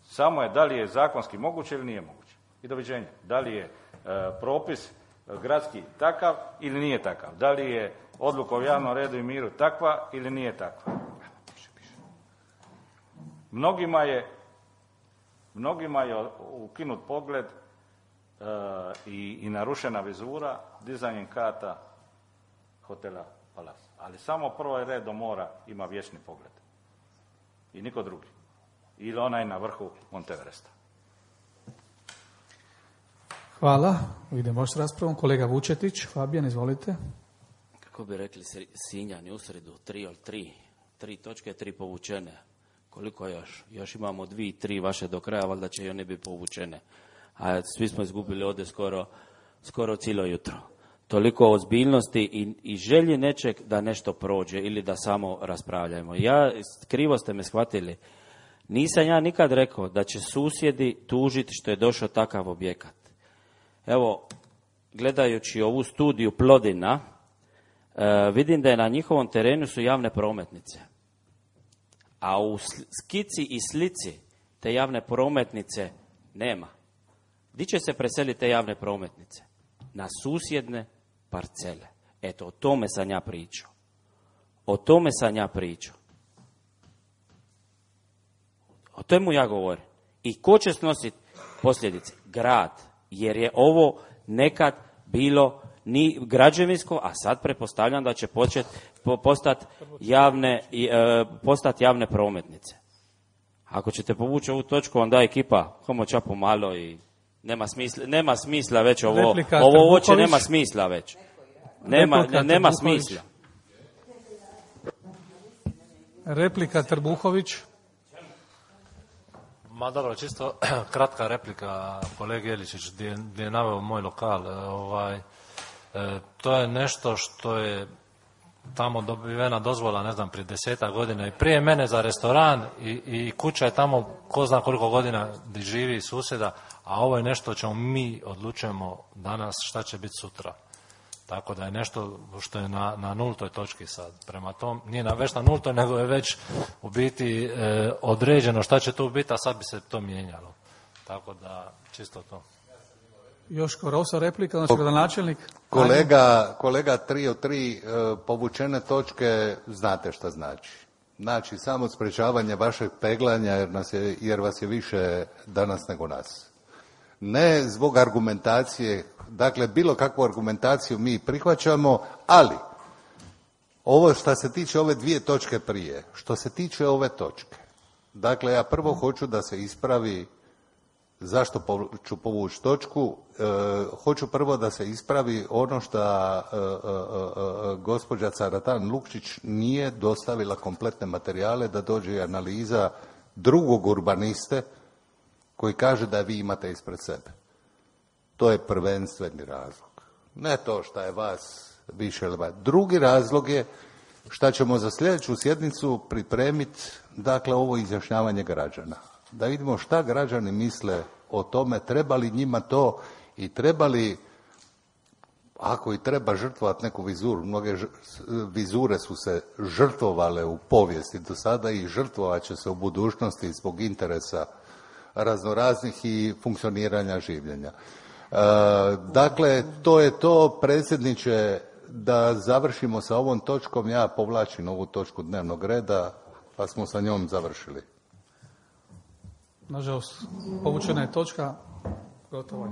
Samo je da li je zakonski moguće ili nije moguće. I doviđenja. Da li je propis gradski takav ili nije takav. Da li je odluka o javnom redu i miru takva ili nije takva. Mnogima je ukinut pogled i narušena vizura dizanjem kata hotela Palas. Ali samo prvi red do mora ima vječni pogled. I niko drugi. Ili onaj na vrhu Monteveresta. Hvala. Idemo s raspravom. Kolega Vučetić, Fabijan, izvolite. Kako bi rekli Sinjani u sredu, 3 od 3. 3 točke, 3 povučene. Koliko još? Još imamo 2, 3 vaše do kraja, valjda će i one biti povučene. A svi smo izgubili ovdje skoro cijelo jutro. Toliko ozbiljnosti i želji nečeg da nešto prođe ili da samo raspravljamo. Krivo ste me shvatili. Nisam ja nikad rekao da će susjedi tužiti što je došao takav objekat. Evo, gledajući ovu studiju Plodina, vidim da je na njihovom terenu su javne prometnice. A u skici i slici te javne prometnice nema. Gdje će se preseliti te javne prometnice? Na susjedne parcele. Eto, o tome sam ja pričao. O tome sam ja pričao. O temu ja govorim. I ko će snositi posljedice? Grad. Jer je ovo nekad bilo ni građevinsko, a sad pretpostavljam da će postati javne prometnice. Ako ćete povući ovu točku, onda ekipa homo čapo malo i nema smisla već ovo uopće nema smisla već. Nema smisla. Replika Trbuhović. Ma dobro, čisto kratka replika kolegi Jeličić gdje je naveo moj lokal. To je nešto što je tamo dobivena dozvola, ne znam, prije 10 godina i prije mene za restoran i kuća je tamo ko zna koliko godina gdje živi susjeda, a ovo je nešto čemu mi odlučujemo danas šta će biti sutra. Tako da je nešto što je na nultoj točki sad. Prema tom, nije već na nultoj, nego je već u biti određeno šta će tu biti, a sad bi se to mijenjalo. Tako da, čisto to. Joško Rosa, replika, znači gradonačelnik. Kolega 3 od 3 povučene točke, znate šta znači. Znači, samo sprečavanje vašeg peglanja jer vas je više danas nego nas. Ne zbog argumentacije, dakle bilo kakvu argumentaciju mi prihvaćamo, ali ovo što se tiče ove 2 točke prije, što se tiče ove točke, dakle ja prvo hoću da se ispravi zašto ću povući točku, hoću prvo da se ispravi ono što gospođa Caratan Lukčić nije dostavila kompletne materijale da dođe analiza drugog urbaniste koji kaže da vi imate ispred sebe. To je prvenstveni razlog. Ne to što je vas više ili vas. Drugi razlog je što ćemo za sljedeću sjednicu pripremiti, dakle, ovo izjašnjavanje građana. Da vidimo šta građani misle o tome, treba li njima to i treba li, ako i treba žrtvovati neku vizuru, mnoge vizure su se žrtvovale u povijesti do sada i žrtvovat će se u budućnosti zbog interesa raznoraznih i funkcioniranja življenja. Dakle, to je to, predsjedniče, da završimo sa ovom točkom. Ja povlačim ovu točku dnevnog reda, pa smo sa njom završili. Nažalost, povučena je točka, gotovo je.